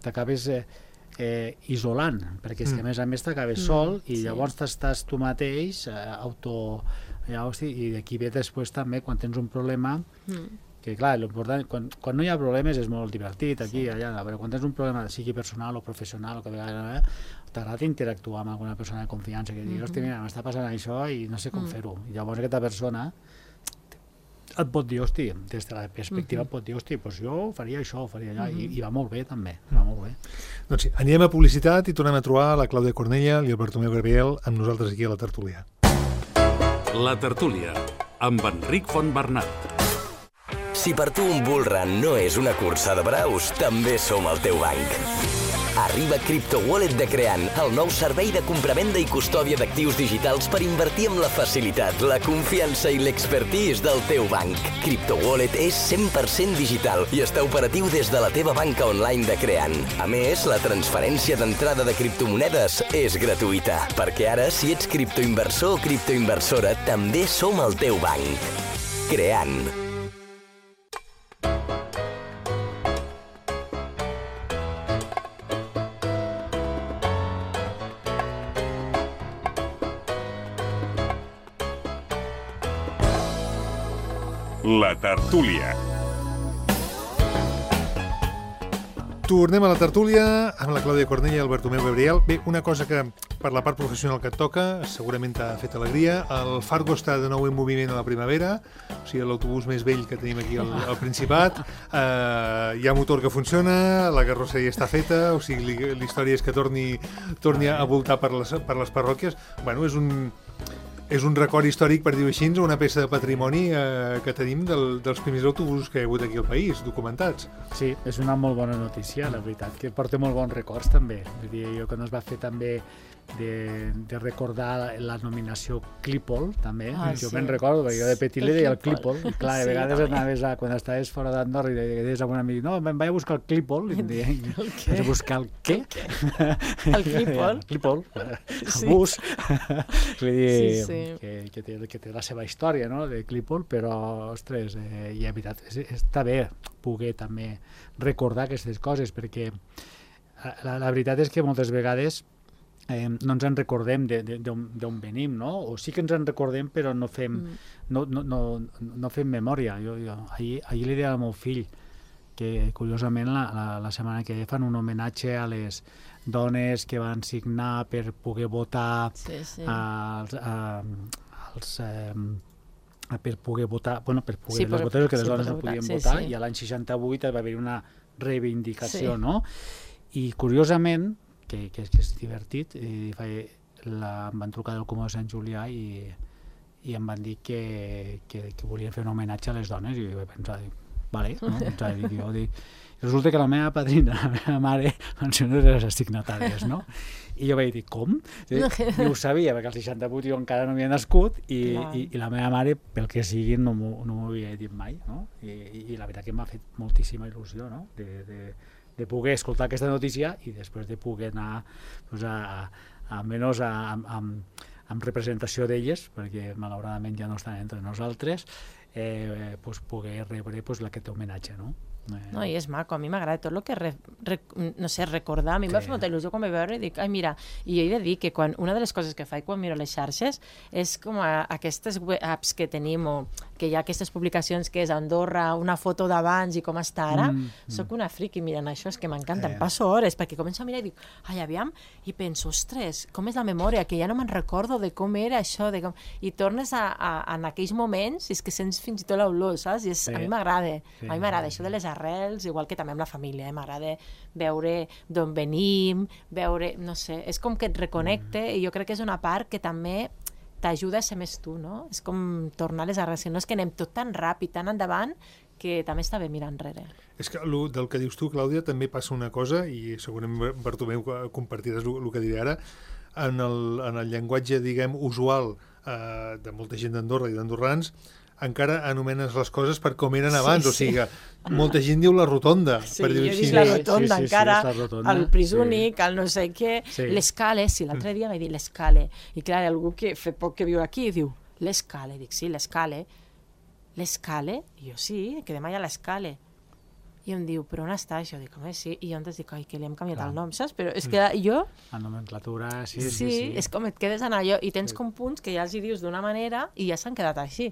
t'acabes eh, eh, isolant, perquè és que a més a més t'acabes mm, sol i sí. Llavors t'estàs tu mateix eh, auto... Ja, hosti, i d'aquí ve després també quan tens un problema mm. que clar, l'important, quan, quan no hi ha problemes és molt divertit aquí, sí. Allà, però quan tens un problema sigui personal o professional o que a vegades t'agrada interactuar amb alguna persona de confiança que digui, mm-hmm. Hosti, mira, m'està passant això i no sé com mm. fer-ho, i llavors aquesta persona et pot dir, hosti, des de la perspectiva mm-hmm. pot dir, hosti, doncs jo faria això, faria allò, mm-hmm. i, i va molt bé també, va molt bé. Doncs sí, anirem a publicitat i tornem a trobar la Clàudia Cornella i el Bartomeu Gabriel amb nosaltres aquí a la tertúlia. La tertúlia, amb Enric Fontbernat. Si per tu un bull run no és una cursa de braus, també som el teu banc. Arriba CryptoWallet de Creant, el nou servei de compravenda i custòdia d'actius digitals per invertir amb la facilitat, la confiança i l'expertise del teu banc. CryptoWallet és cent per cent digital i està operatiu des de la teva banca online de Creant. A més, la transferència d'entrada de criptomonedes és gratuïta, perquè ara, si ets criptoinversor o criptoinversora, també som el teu banc. Creant. La tertúlia. Tornem a la tertúlia amb la Clàudia Cornell i el Bartomeu Gabriel. Bé, una cosa que per la part professional que et toca segurament t'ha fet alegria. El Fargo està de nou en moviment a la primavera, o sigui, l'autobús més vell que tenim aquí al, al Principat. Uh, hi ha motor que funciona, la carrosseria està feta, o sigui, la història és que torni, torni a voltar per les, per les parròquies. Bueno, és un... És un record històric, per dir-ho així, una peça de patrimoni eh, que tenim del, dels primers autobusos que hi ha hagut aquí al país, documentats. Sí, és una molt bona notícia, la veritat, que porta molt bons records també. Vull dir, jo quan es va fer també de, de recordar la nominació Clípol, també, ah, jo sí. me'n recordo, perquè jo de petit li deia el Clípol, i clar, de vegades sí, anaves a, quan estaves fora d'Andorra i deies a un amic, no, me'n vaig a buscar el Clípol, i em deien, vas a buscar el què? El Clípol? El Clípol, el bus. Vull dir, sí, sí. Que, que, té, que té la seva història, no?, de Clípol, però, ostres, eh, i la veritat, és, està bé poder també recordar aquestes coses, perquè la, la veritat és que moltes vegades eh, no ens en recordem d'on venim, no? O sí que ens en recordem, però no fem, mm. no, no, no, no fem memòria. Jo, jo, ahir, ahir li deia al meu fill que, curiosament, la, la, la setmana que ve fan un homenatge a les dones que van signar per poder votar sí, sí. als... A, als eh, per poder votar, bueno, per poder sí, les votar, que les sí, dones no podien sí, votar, sí. i a l'any seixanta-vuit va haver una reivindicació, sí. no? I curiosament, que, que, que és divertit, eh, la, em van trucar del Comú de Sant Julià i, i em van dir que, que, que volien fer un homenatge a les dones, i jo vaig pensar, dic, vale, no? Dic, jo, dic, resulta que la meva padrina, la meva mare, van ser unes de les assignatàries, no? I jo vaig dir, com? I ho sabia, perquè al seixanta-vuit jo encara no havia nascut i, i, i la meva mare, pel que sigui, no m'ho no havia dit mai, no? I, i, i la veritat que m'ha fet moltíssima il·lusió, no? De, de, de poder escoltar aquesta notícia i després de poder anar pues, a, a, almenys a, a, a, amb representació d'elles, perquè malauradament ja no estan entre nosaltres, eh, pues, poder rebre pues, aquest homenatge, no? No, i és maco, a mi m'agrada tot el que re, re, no sé, recordar, a mi em sí. va fer molta il·lusió quan vaig veure i dic, ai mira, i he de dir que quan, una de les coses que faig quan miro les xarxes és com a, aquestes apps que tenim o que hi ha aquestes publicacions que és Andorra, una foto d'abans i com està ara, mm, mm. soc una friqui mirant això, és que m'encanta, eh. em passo hores perquè començo a mirar i dic, ai aviam, i penso, ostres, com és la memòria, que ja no me'n recordo de com era això, de com... i tornes a, a, a en aquells moments i és que sents fins i tot l'olor, saps? I és, sí. a mi m'agrada, sí. a mi m'agrada això de les arrels, igual que també amb la família, eh? M'agrada veure d'on venim, veure, no sé, és com que et reconnecte mm. i jo crec que és una part que també t'ajuda a ser més tu, no? És com tornar a les arrels, no és que anem tot tan ràpid, tan endavant, que també està bé mirar enrere. És que lo, del que dius tu, Clàudia, també passa una cosa, i segurament Bartomeu compartiràs el, el que diré ara, en el, en el llenguatge, diguem, usual eh, de molta gent d'Andorra i d'andorrans, encara anomenes les coses per com eren abans, sí, o sigui, sí. molta gent diu la rotonda, sí, per dir-ho així. Sí, la rotonda, sí, sí, encara, sí, la rotonda. el pris únic, sí. el no sé què, sí. l'escale, sí, l'altre dia vaig dir l'escale, i clar, algú que fa poc que viu aquí diu, l'escale, dic, sí, l'escale, l'escale, i jo sí, que demà hi ha l'escale, i em diu, però on està això? Dic, home, sí, i jo antes dic, ai, que li hem canviat clar. el nom, saps? Però és que jo... La nomenclatura, sí, sí, sí, sí. és com et quedes en allò, i tens sí. com punts que ja els hi dius d'una manera i ja s'han quedat així.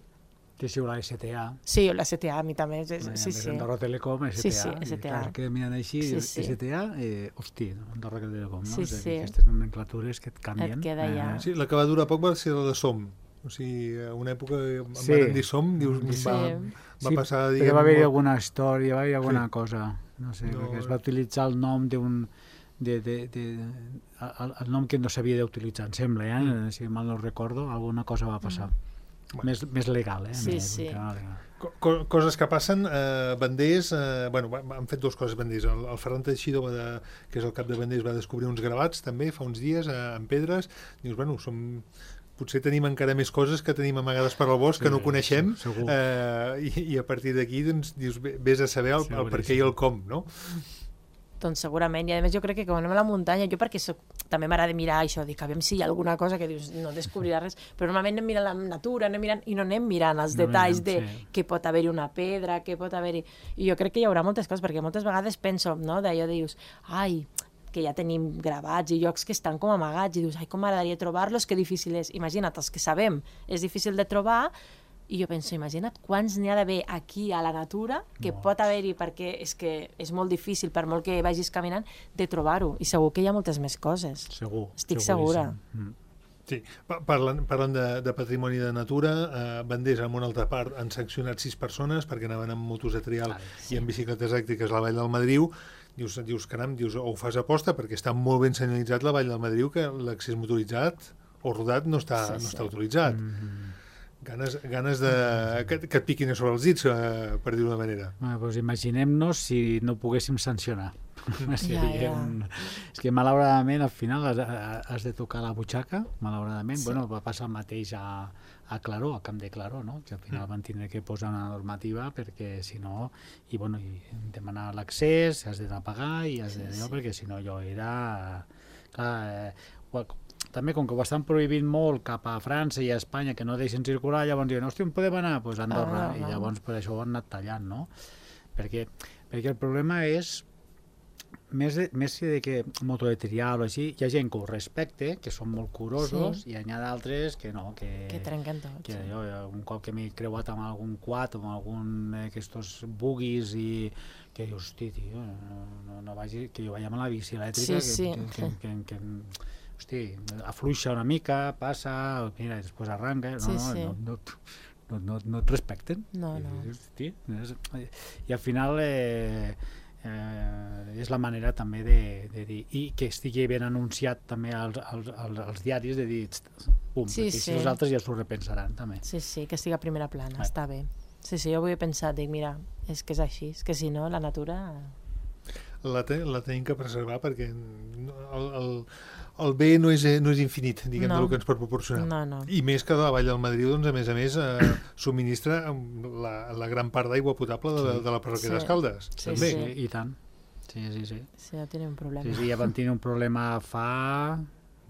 Que sí, la S T A. Sí, la S T A a mi també. És, sí, sí, sí. Andorra Telecom, S T A. Sí, sí, S T A. I que mirant així, sí, sí. S T A, eh, hosti, Andorra Telecom, no? Sí, és sí. Aquestes nomenclatures que et canvien. Et queda ja. Eh, sí, la que va durar poc va ser la de Som. O sigui, a una època em sí. van dir Som, dius, sí. va, va sí, passar... Diguem, però va haver-hi alguna història, va haver-hi alguna sí. cosa, no sé, no, perquè es va utilitzar el nom d'un... De, de, de, el, el nom que no s'havia d'utilitzar, em sembla, eh? Mm. si mal no recordo, alguna cosa va passar. Mm. Bueno. Més, més legal, eh? Sí, més, sí. Legal. Co coses que passen, eh, Banders, eh, bueno, han fet dues coses Banders. El, el Ferran Teixidor, va de, que és el cap de Banders, va descobrir uns gravats també fa uns dies eh, en pedres. Dius, bueno, som... potser tenim encara més coses que tenim amagades per al bosc, sí, que no coneixem, eh, i, i a partir d'aquí doncs, dius, vés a saber el, el per què i el com, no? Doncs segurament, i a més jo crec que quan anem a la muntanya, jo perquè soc, també m'agrada mirar això, dic, a veure si hi ha alguna cosa que dius, no descobrirà res, però normalment anem mirant la natura, anem mirant, i no anem mirant els no detalls mirem, de sí. que pot haver-hi una pedra, que pot haver-hi... I jo crec que hi haurà moltes coses, perquè moltes vegades penso, no?, d'allò de dius, ai, que ja tenim gravats i llocs que estan com amagats, i dius, ai, com m'agradaria trobar-los, que difícil és. Imagina't, els que sabem, és difícil de trobar, i jo penso, imagina't quants n'hi ha d'haver aquí a la natura que Molts. pot haver-hi, perquè és que és molt difícil, per molt que vagis caminant, de trobar-ho. I segur que hi ha moltes més coses. Segur. Estic segura. Mm. Sí, parlant, parlant de, de patrimoni de natura, eh, Banders, en una altra part, han sancionat sis persones perquè anaven amb motos de trial ah, sí. i amb bicicletes elèctriques a la Vall del Madriu. Dius, dius caram, dius, o ho fas aposta perquè està molt ben senyalitzat la Vall del Madriu, que l'accés motoritzat o rodat no està, sí, no sí. està autoritzat. Mm-hmm. Ganes, ganes de, que, que et piquin a sobre els dits, eh, per dir-ho d'una manera. Ah, doncs imaginem-nos si no poguéssim sancionar. Ja, ja. És que malauradament al final has, has de tocar la butxaca, malauradament. Sí. Bueno, va passar el mateix a, a Claró, a Camp de Claró, no? Que al final mm. van tindre que posar una normativa perquè si no, i bueno, i demanar l'accés, has d'anar a pagar i has de dir, sí, sí. perquè si no allò era... Clar, eh, també com que ho estan prohibint molt cap a França i a Espanya, que no deixen circular, llavors diuen, hòstia, on podem anar? Doncs pues Andorra, ah, no, no. i llavors per això ho han anat tallant, no? Perquè, perquè el problema és, més, de, més de que moto de trial o així, hi ha gent que ho respecte, que són molt curosos, sí. i hi ha d'altres que no, que... Que trenquen tot. Que sí. jo, un cop que m'he creuat amb algun quad o amb algun d'aquests buggies i que dius, hosti, tio, no, no, no vagi, que jo vaig amb la bici elèctrica, sí, que, sí. que, que, que, que hosti, afluixa una mica, passa, mira, i després arranca, no, sí, no, sí. no, no, no, no, no et respecten. No, no. Hosti, i al final eh, eh, és la manera també de, de dir, i que estigui ben anunciat també als, als, als, als diaris, de dir, pum, sí, i sí. si els altres ja s'ho repensaran també. Sí, sí, que estigui a primera plana, ah. està bé. Sí, sí, jo ho he pensat, dic, mira, és que és així, és que si no, la natura... La, te, la tenim que preservar perquè el, el, el bé no és, no és infinit, diguem, no. del que ens pot proporcionar. No, no. I més que la Vall del Madriu, doncs, a més a més, eh, subministra la, la gran part d'aigua potable de, sí. de la parròquia sí. d'Escaldes. Sí, també. sí. I tant. Sí, sí, sí. Sí, ja tenim un problema. Sí, sí, ja van tenir un problema fa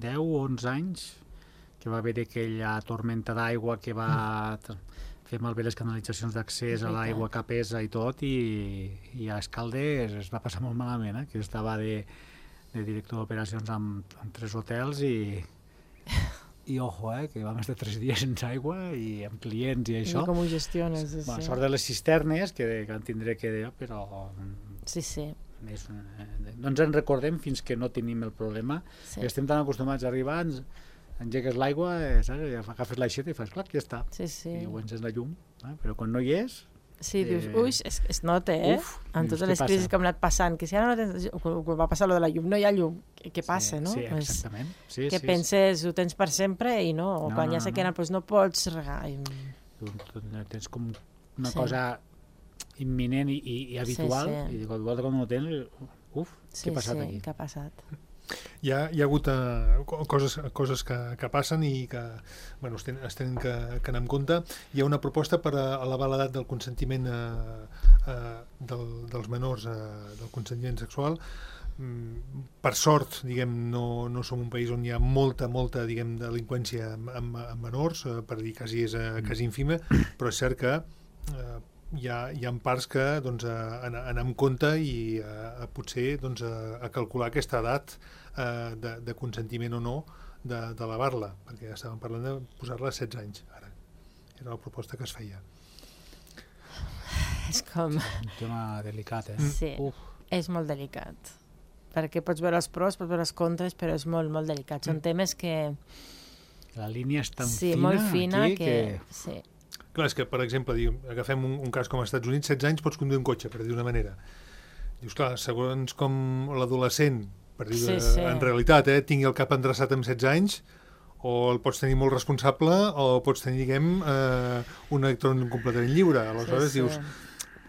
deu o onze anys, que va haver aquella tormenta d'aigua que va... Mm. fer malbé les canalitzacions d'accés a l'aigua capesa i tot, i, i a Escaldes es va passar molt malament, eh? Que estava de, de director d'operacions amb, amb tres hotels i, i ojo, eh? Que vam estar tres dies sense aigua i amb clients i això. I com ho gestiones? Sí, bueno, sí. Sort de les cisternes, que, que en tindré que dir, però... Sí, sí. És, eh, no ens en recordem fins que no tenim el problema. Sí. Estem tan acostumats a arribar... Ens, engegues l'aigua, eh, agafes l'aixeta i fas, clar, ja està. Sí, sí. I ho ences la llum, eh? Però quan no hi és... Sí, eh... dius, ui, es, es nota, eh? Uf, amb dius, totes les crisis que hem anat passant, que si ara no tens... Quan va passar lo de la llum, no hi ha llum, què passa, sí, no? Sí, exactament. Sí, que sí, penses, sí. Ho tens per sempre i no, o no quan no, ja sé no, que no. no, doncs no pots regar. I... Tens com una sí. cosa imminent i, i, i habitual, sí, sí. i de volta quan no ho tens, uf, sí, què ha passat sí, aquí? Què ha passat? Hi ha, hi ha hagut uh, coses, coses que, que passen i que bueno, es tenen, es tenen que, que anar en compte. Hi ha una proposta per a elevar l'edat del consentiment uh, uh, del, dels menors, uh, del consentiment sexual. Mm, per sort, diguem, no, no som un país on hi ha molta, molta, diguem, delinqüència amb, amb, amb menors, uh, per dir quasi és uh, quasi ínfima, però és cert que uh, hi ha, hi ha parts que doncs, a, a anar amb compte i a, a potser doncs, a, a calcular aquesta edat eh, de, de consentiment o no d'elevar-la, perquè ja estàvem parlant de posar-la a setze anys ara. Era la proposta que es feia. És com... Sí, un tema delicat, eh? Sí, Uf. és molt delicat. Perquè pots veure els pros, pots veure els contres, però és molt, molt delicat. Són temes que... La línia és tan sí, fina, molt fina aquí que... que... Sí. Clar, és que, per exemple, diu, agafem un, un cas com als Estats Units, setze anys pots conduir un cotxe, per dir d'una manera. Dius, clar, segons com l'adolescent, per dir sí, sí. en realitat, eh, tingui el cap endreçat amb setze anys, o el pots tenir molt responsable o pots tenir, diguem, eh, un electrònic completament lliure. Aleshores Sí, sí. dius,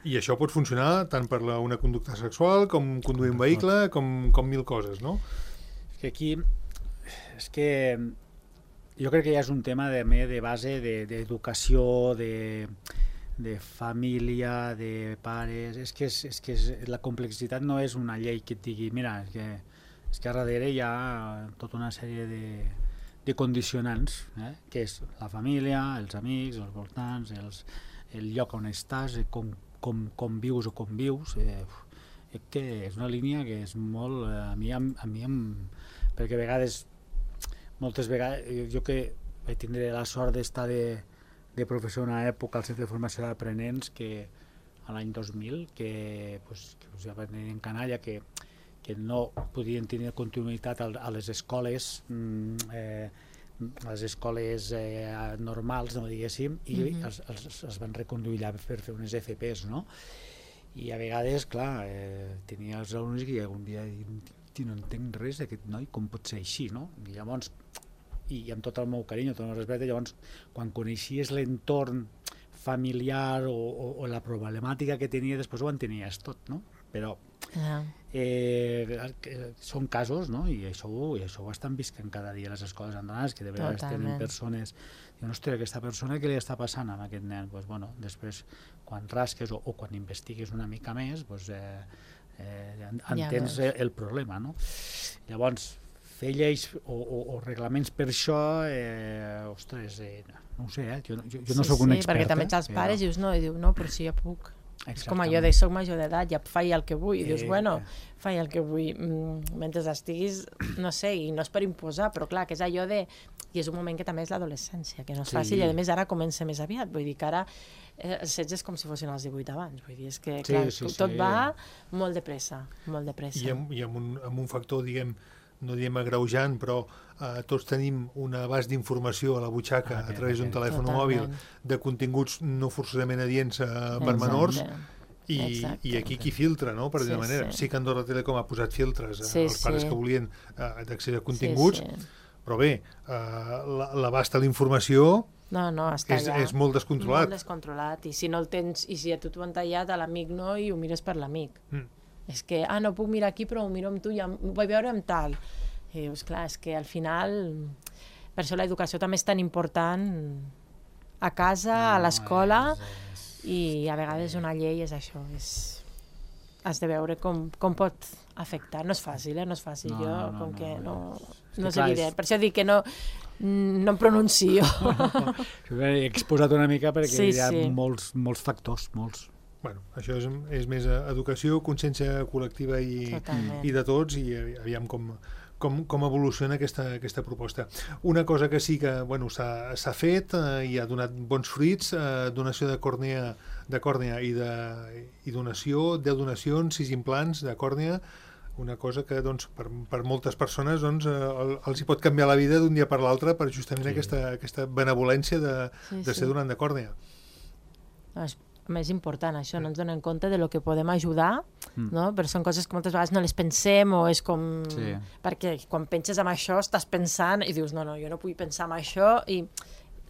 i això pot funcionar tant per la, una conducta sexual com conduir un vehicle, com, com mil coses, no? És que aquí, és que jo crec que ja és un tema de, de base d'educació, de, de família, de pares. És que, és, és que és, la complexitat no és una llei que et digui, mira, és que, és que a darrere hi ha tota una sèrie de, de condicionants, eh? Que és la família, els amics, els voltants, els, el lloc on estàs, com, com, com vius o com vius. Eh, és que és una línia que és molt... Eh, a mi, a, a mi em, perquè a vegades moltes vegades, jo que vaig tindre la sort d'estar de, de professor en una època al Centre de Formació d'Aprenents, que a l'any dos mil, que, pues, que pues, ja venien en canalla, que, que no podien tenir continuïtat a, a les escoles, eh, a les escoles eh, normals, no diguéssim, i mm-hmm. els, els, els van reconduir allà per fer unes F Pes, no? I a vegades, clar, eh, tenia els alumnes que un dia no entenc res d'aquest noi, com pot ser així, no? I llavors, i amb tot el meu carinyo, tot el respecte, llavors, quan coneixies l'entorn familiar o, o, o la problemàtica que tenia, després ho entenies tot, no? Però yeah. eh, són casos, no? I això, i això ho estan visquent cada dia a les escoles andonades, que de vegades tenen persones, diuen, ostres, aquesta persona, què li està passant amb aquest nen? Pues, bueno, després, quan rasques o, o quan investigues una mica més, pues, eh, Eh, entens ja el problema, no? Llavors, fer lleis o, o, o reglaments per això, eh, ostres, eh, no ho sé, eh? jo, jo, jo no sí, sóc un sí, expert. Perquè també ets els pares i dius, no, i diu, no, però si jo puc. És com allò de soc major d'edat, ja faig el que vull, i dius, bueno, faig el que vull, mm, mentre estiguis, no sé, i no és per imposar, però clar, que és allò de... I és un moment que també és l'adolescència, que no és sí. fàcil, i a més ara comença més aviat, vull dir que ara els setze és com si fossin els divuit abans, vull dir, és que clar, sí, sí, tot sí. va molt de pressa, molt de pressa. I amb, i amb, un, amb un factor, diguem, no diem agreujant, però eh, tots tenim un abast d'informació a la butxaca ah, a través d'un telèfon mòbil de continguts no forçosament adients eh, per menors, i, i aquí qui filtra, no? Per dir una sí, manera. Sí. sí que Andorra Telecom ha posat filtres sí, als pares sí. que volien eh, d'accedir a continguts, sí, sí. però bé, eh, l'abast a la informació no, no, està és, allà. és molt descontrolat. Molt descontrolat, i si no el tens, i si a tu t'ho han tallat, a l'amic no, i ho mires per l'amic. Mm. És que, ah, no puc mirar aquí, però ho miro amb tu, ja ho vaig veure amb tal. I dius, clar, és que al final, per això l'educació també és tan important a casa, no, a l'escola, i a vegades una llei és això, és... has de veure com, com pot afectar. No és fàcil, eh? No és fàcil. No, jo, no, com no, que no, no, no és clar, evident. És... Per això dic que no, no em pronuncio. He exposat una mica perquè sí, hi ha sí. molts, molts factors, molts. Bueno, això és, és més educació, consciència col·lectiva i, i de tots, i aviam com, com, com evoluciona aquesta, aquesta proposta. Una cosa que sí que bueno, s'ha fet eh, i ha donat bons fruits, eh, donació de còrnea, de còrnea i, de, i donació, deu donacions, sis implants de còrnea, una cosa que doncs, per, per moltes persones doncs, eh, els hi pot canviar la vida d'un dia per l'altre per justament sí. aquesta, aquesta benevolència de, sí, de ser sí. donant de còrnea. No, és més important això, no ens donem compte de lo que podem ajudar, mm. no? Però són coses que moltes vegades no les pensem o és com... Sí. Perquè quan penses en això estàs pensant i dius, no, no, jo no puc pensar en això i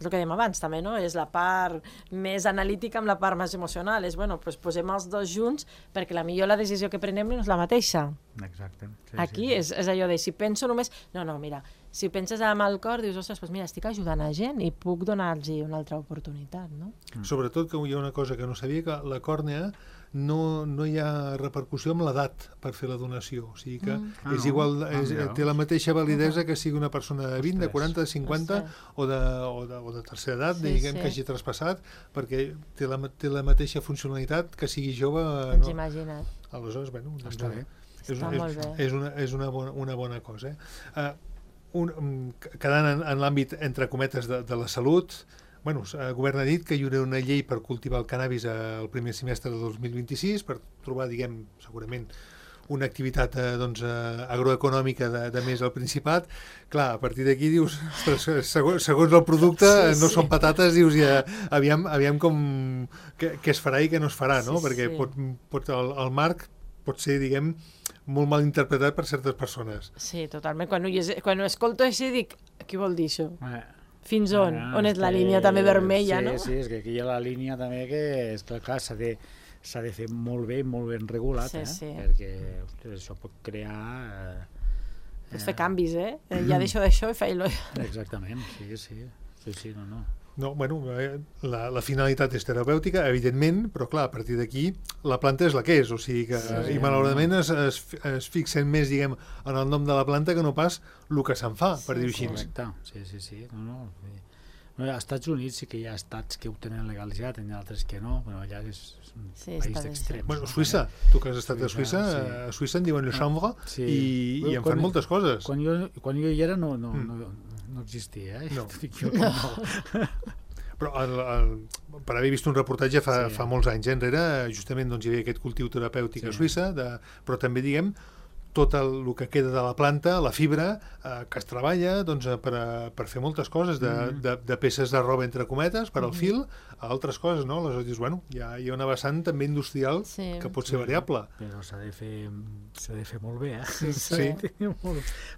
és el que dèiem abans també, no? És la part més analítica amb la part més emocional. És, bueno, doncs posem els dos junts perquè la millor la decisió que prenem no és la mateixa. Exacte. Sí, Aquí sí, sí. És, és allò de si penso només... No, no, mira, si penses amb el cor, dius, ostres, doncs mira, estic ajudant a gent i puc donar-los una altra oportunitat, no? Mm. Sobretot que hi ha una cosa que no sabia, que la còrnea no, no hi ha repercussió amb l'edat per fer la donació. O sigui que mm. ah, és igual, és, ah, té la mateixa validesa que sigui una persona de vint, de quaranta, de cinquanta o de, o de, o de tercera edat, sí, diguem sí. que hagi traspassat, perquè té la, té la mateixa funcionalitat que sigui jove. Ens no? imagina't. Aleshores, bueno, doncs, està bé. És, està és, molt bé. és, una, és una, bona, una bona cosa. Eh? Uh, un, quedant en, en l'àmbit, entre cometes, de, de la salut, bueno, el govern ha dit que hi haurà una llei per cultivar el cannabis al primer semestre de dos mil vint-i-sis per trobar, diguem, segurament una activitat eh, doncs, eh, agroeconòmica de, de més al Principat. Clar, a partir d'aquí dius, ostres, segons, segons el producte sí, no sí. són patates, dius ja, aviam, aviam com què, què es farà i què no es farà, no? Sí, perquè sí. pot, pot, el, el marc pot ser, diguem, molt mal interpretat per certes persones. Sí, totalment. Quan, quan ho escolto així dic, Què vol dir això? Eh, Fins on? ah, On és la que- línia també vermella, sí, no? Sí, és que aquí hi ha la línia també que, és que clar, s'ha de, s'ha de fer molt bé i molt ben regulat, Sí, eh? sí. Perquè ostres, això pot crear... Eh, Pots fer canvis, eh? Eh, Ja deixo d'això i faig-lo. Exactament, sí, sí. Sí, sí, no, no. No, bueno, eh, la, la finalitat és terapèutica, evidentment, però clar, a partir d'aquí la planta és la que és, o sigui que, Sí, i malauradament es, es, es fixen més, diguem, en el nom de la planta que no pas el que se'n fa, per Sí, dir-ho així. Correcte, sí, sí, sí. No, no. Bé, als Estats Units sí que hi ha estats que ho tenen legalitzat, hi ha altres que no, però allà és, és un Sí, país està bé, d'extrems. Bueno, no? Suïssa, tu que has estat a Suïssa, Suïssa, sí. a Suïssa en diuen le chanvre Sí. i, i en Quan- fan moltes coses. Quan jo, quan jo hi era no, no, Mm. no, no existia, eh? No. T'ho dic jo que no. Però el, el, per haver vist un reportatge fa, Sí. fa molts anys eh, enrere, justament doncs, hi havia aquest cultiu terapèutic Sí. a Suïssa, de, però també, diguem, tot el, el que queda de la planta, la fibra, eh, que es treballa doncs, eh, per, a, per fer moltes coses, de, Mhm. de, de peces de roba entre cometes, per al fil, a altres coses, no? Aleshores dius, bueno, hi ha, hi ha una vessant també industrial Sí. que pot ser variable. Però s'ha de fer s'ha de fer molt bé, eh? Sí. molt,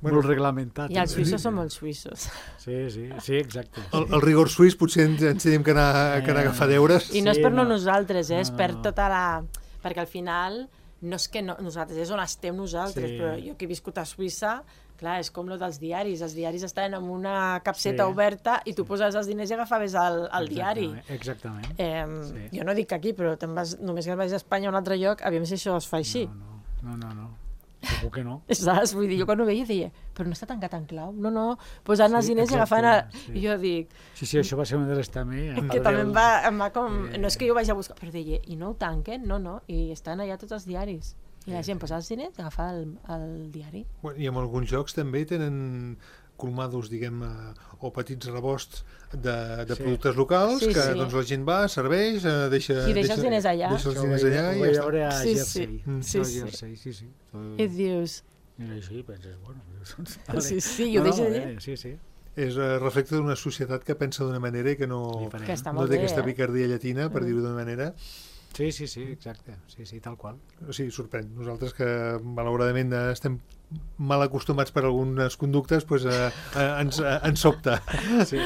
Bueno, molt reglamentat. I els eh? suïssos són molt suïssos. Sí, sí, sí, exacte. El, el rigor suís potser ens, ens tenim que anar, que anar a agafar deures. I no és Sí, per no, no. nosaltres, eh? és No, no, per no. tota la... Perquè al final no és que no, nosaltres, és on estem nosaltres, Sí. però jo que he viscut a Suïssa, clar, és com lo dels diaris. Els diaris estan en una capseta Sí. oberta i tu poses els diners i agafaves el, el diari. Exactament. Eh, Sí. Jo no dic aquí, però te'n vas, només que vaig a Espanya o a un altre lloc, aviam si això es fa així. No, no, no, no. Segur que no. Saps? Vull dir, jo quan ho veia deia, però no està tancat en clau? No, no, posant els Sí, diners i exacte, agafant... El... sí. I jo dic, Sí, sí, això va ser una de les també... a que part també del- em va, em va com... Eh. No és que jo vaig a buscar, però deia, i no ho tanquen? No, no, i estan allà tots els diaris. I la gent posa els diners i agafa el, el diari. Bueno, i en alguns jocs també tenen colmados, diguem, eh, o petits rebosts de, de Sí. productes locals, Sí, que sí. doncs la gent va, serveix, eh, deixa... I deixa els diners allà. Deixa els Això ho diners vaig- allà ho i vaig ja està. veure a Sí, Jersey. sí. Mm. Sí, A sí. Jersey, sí, sí. I dius, I així penses, bueno... Doncs, Sí, sí, i ho no, deixa no, allà. eh, Sí, sí. És eh, reflecte d'una societat que pensa d'una manera i que no, Diferent. que està no molt té bé, aquesta eh? picardia llatina, per Mm. dir-ho d'una manera. Sí, sí, sí, exacte. Sí, sí, tal qual. O sigui, sorprèn. Nosaltres que, malauradament, eh, estem mal acostumats per algunes conductes, doncs, eh, eh, ens, eh, ens sobta. Sí.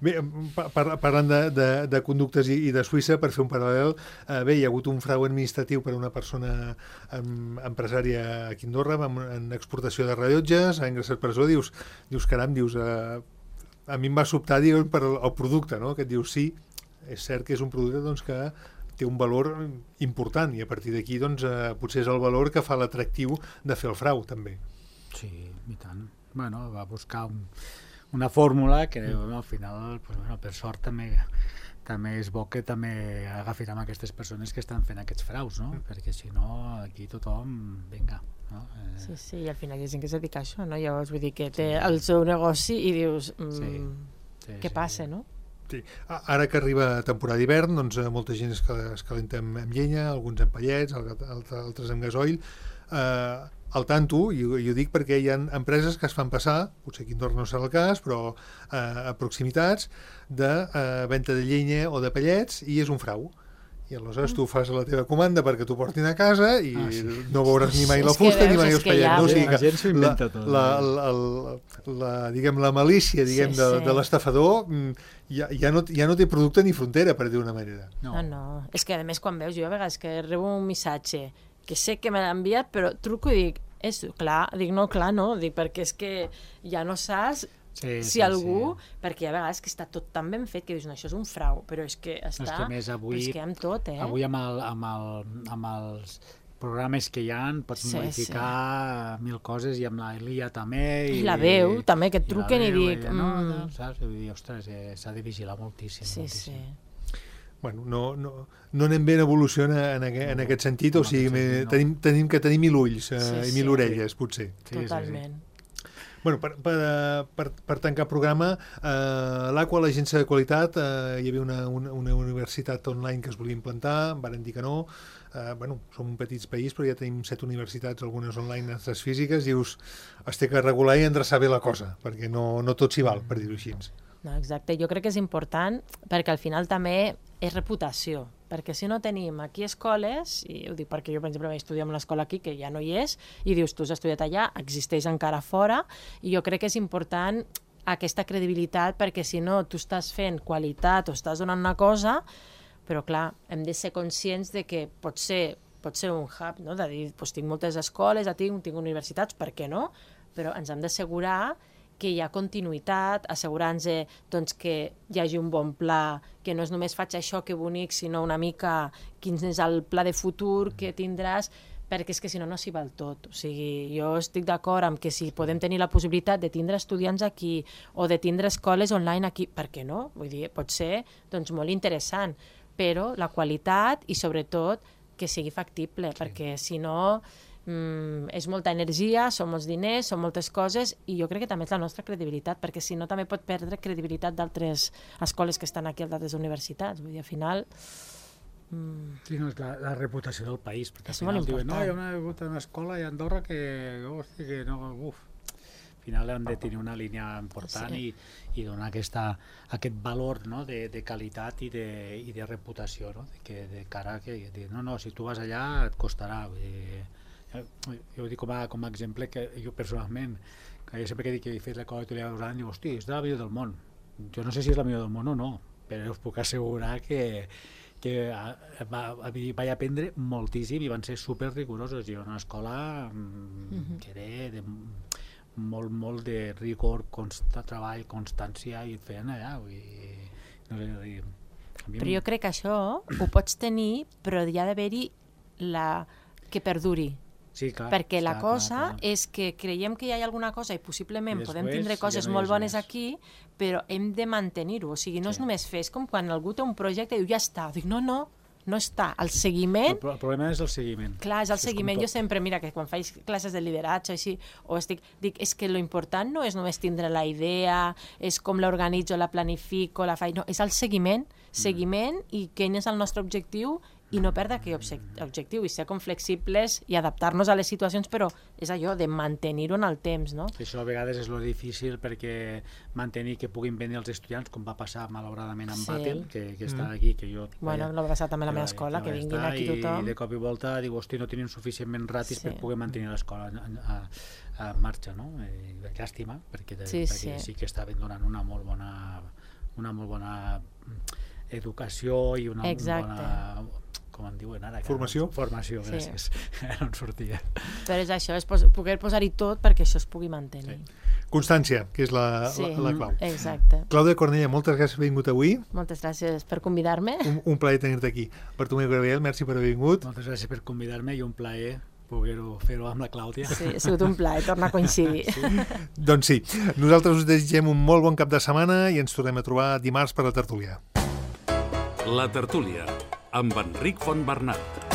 Bé, pa- par parlant de, de, de conductes i, i de Suïssa, per fer un paral·lel, eh, bé, hi ha hagut un frau administratiu per a una persona em, empresària aquí a Andorra amb, en exportació de rellotges, ha ingressat a presó, dius, dius caram, dius, eh, a mi em va sobtar dius, per el, el producte, no? Que et dius, sí, és cert que és un producte doncs, que té un valor important i a partir d'aquí doncs, eh, potser és el valor que fa l'atractiu de fer el frau, també. Sí, i tant. Bueno, va buscar un, una fórmula que bueno, al final, pues, bueno, per sort també també és bo que també agafin amb aquestes persones que estan fent aquests fraus, no? Mm. Perquè si no, aquí tothom, vinga, no? Eh, Sí, sí, i al final hi ha gent que es dedica a això, no? Llavors, vull dir que té el seu negoci i dius, mm, Sí. sí, què sí. passa, no? Sí. A- Ara que arriba temporada d'hivern, doncs eh, molta gent es, cal- es calenta amb, amb llenya, alguns amb pallets, al- altres, altres amb gasoil. Eh, al tanto, i, ho- i ho dic perquè hi ha empreses que es fan passar, potser aquí a Andorra no serà el cas, però eh, a proximitats, de eh, venda de llenya o de pallets, i és un frau. I aleshores tu fas la teva comanda perquè t'ho portin a casa i Ah, sí. no veuràs ni mai És la que fusta ni veus, mai és els que ja- pallets. No? O sigui La que gent s'ho inventa tot, La, eh? la, la, la, diguem, la malícia diguem, Sí, de, sí. de l'estafador mm, ja, ja, no, ja no té producte ni frontera, per dir-ho d'una manera. No. no, no. És que a més quan veus, jo a vegades que rebo un missatge que sé que me l'ha enviat, però truco i dic, és clar, dic no, clar, no, dic perquè és que ja no saps Sí, si sí, algú, sí. perquè a vegades que està tot tan ben fet que dius, no, això és un frau, però és que està... És que a més avui, però és que amb tot, eh? avui amb, el, amb, el, amb els programes que hi ha pots Sí, modificar mil coses i amb la Elia també I la veu, també, que et i la truquen i veu, dic, ella, no, mm. no, saps? Vull dir, ostres, eh, s'ha de vigilar moltíssim, Sí, moltíssim. sí. Bueno, no, no, no anem ben evolució en, en, aquest, en aquest sentit, o en sigui, aquest me- sentit, no. tenim, tenim que tenir mil ulls eh, Sí, i sí. mil orelles, potser. Sí, sí, Totalment. Bueno, per, per, eh, per, per tancar programa, eh, l'Aqua, l'agència de qualitat, eh, hi havia una, una, una universitat online que es volia implantar, varen dir que no. Eh, bueno, som un petit país, però ja tenim set universitats, algunes online, altres físiques, dius, es té que regular i endreçar bé la cosa, perquè no, no tot s'hi val, per dir-ho així. No, exacte, jo crec que és important perquè al final també és reputació, perquè si no tenim aquí escoles, i ho dic perquè jo, per exemple, vaig estudiar en l'escola aquí, que ja no hi és, i dius, tu has estudiat allà, existeix encara fora, i jo crec que és important aquesta credibilitat, perquè si no, tu estàs fent qualitat o estàs donant una cosa, però clar, hem de ser conscients de que pot ser, pot ser un hub, no? De dir, doncs tinc moltes escoles, tinc, tinc universitats, per què no? Però ens hem d'assegurar que hi ha continuïtat, assegurar-nos doncs, que hi hagi un bon pla, que no és només faig això, que bonic, sinó una mica quin és el pla de futur que tindràs, perquè és que si no, no s'hi val tot. O sigui, jo estic d'acord amb que si podem tenir la possibilitat de tindre estudiants aquí o de tindre escoles online aquí, per què no? Vull dir, pot ser doncs, molt interessant, però la qualitat i sobretot que sigui factible, sí. Perquè si no... Mm, és molta energia, són molts diners, són moltes coses, i jo crec que també és la nostra credibilitat, perquè si no també pot perdre credibilitat d'altres escoles que estan aquí, d'altres universitats. Vull dir, al final... Mm... Sí, no, és la, la reputació del país, perquè és al final diuen, important. no, hi ha una, una escola a Andorra que, hosti, que no, uf. Al final hem de tenir una línia important sí. i, i donar aquesta, aquest valor, no? de, de qualitat i de, i de reputació, no? de, que, de cara a que, de, no, no, si tu vas allà et costarà, vull dir, jo ho dic com a, com a exemple que jo personalment, que jo sempre que dic que he fet l'escola italiana dos anys, dic, hosti, és de la millor del món. Jo no sé si és la millor del món o no, però us puc assegurar que, que va, vaig aprendre moltíssim i van ser super rigorosos. I una escola mm-hmm. que era de molt, molt de rigor, consta, treball, constància, i et feien allà. Vull dir, no sé, vull dir, però jo crec que això ho pots tenir, però hi ha d'haver-hi la... que perduri. Sí, clar, perquè la clar, cosa clar, clar. és que creiem que hi ha alguna cosa i possiblement I després, podem tindre coses ja no molt bones més. Aquí, però hem de mantenir-ho. O sigui, no Sí. és només fer, és com quan algú té un projecte i diu, ja està. Dic, no, no, no està. El seguiment... El, el problema és el seguiment. Clar, és el Això seguiment. és Jo sempre, mira, que quan faig classes de lideratge així, o estic, dic, és que lo important no és només tindre la idea, és com l'organitzo, la planifico, la faig... No, és el seguiment, seguiment mm. i quin és el nostre objectiu i no perdre aquell objectiu i ser com flexibles i adaptar-nos a les situacions, però és allò de mantenir-ho en el temps, no? Això a vegades és lo difícil perquè mantenir que puguin venir els estudiants, com va passar malauradament amb Sí. Batel, que, que està Mm. aquí, que jo... Bueno, vaja, no va passar també a la que meva va- escola, que va vinguin estar, aquí tothom. I de cop i volta diu, hosti, no tenim suficientment ratis Sí. per poder mantenir l'escola a, a, a marxa, no? Eh, llàstima, perquè, de, Sí, perquè sí. sí que estaven donant una molt bona, una molt bona educació i una Exacte. bona... com en diuen ara? Formació? Formació, Sí. gràcies. No em sortia. Però és això, és pos poder posar-hi tot perquè això es pugui mantenir. Constància, que és la, Sí, la, la clau. exacte. Clàudia Cornella, moltes gràcies per haver vingut avui. Moltes gràcies per convidar-me. Un, un plaer tenir-te aquí. Bartomeu Gabriel, merci per haver vingut. Moltes gràcies per convidar-me i un plaer poder-ho fer-ho amb la Clàudia. Sí, ha sigut un plaer tornar a coincidir. Sí. Doncs sí, nosaltres us desitgem un molt bon cap de setmana i ens tornem a trobar dimarts per la tertúlia. La tertúlia, amb Enric Fontbernat.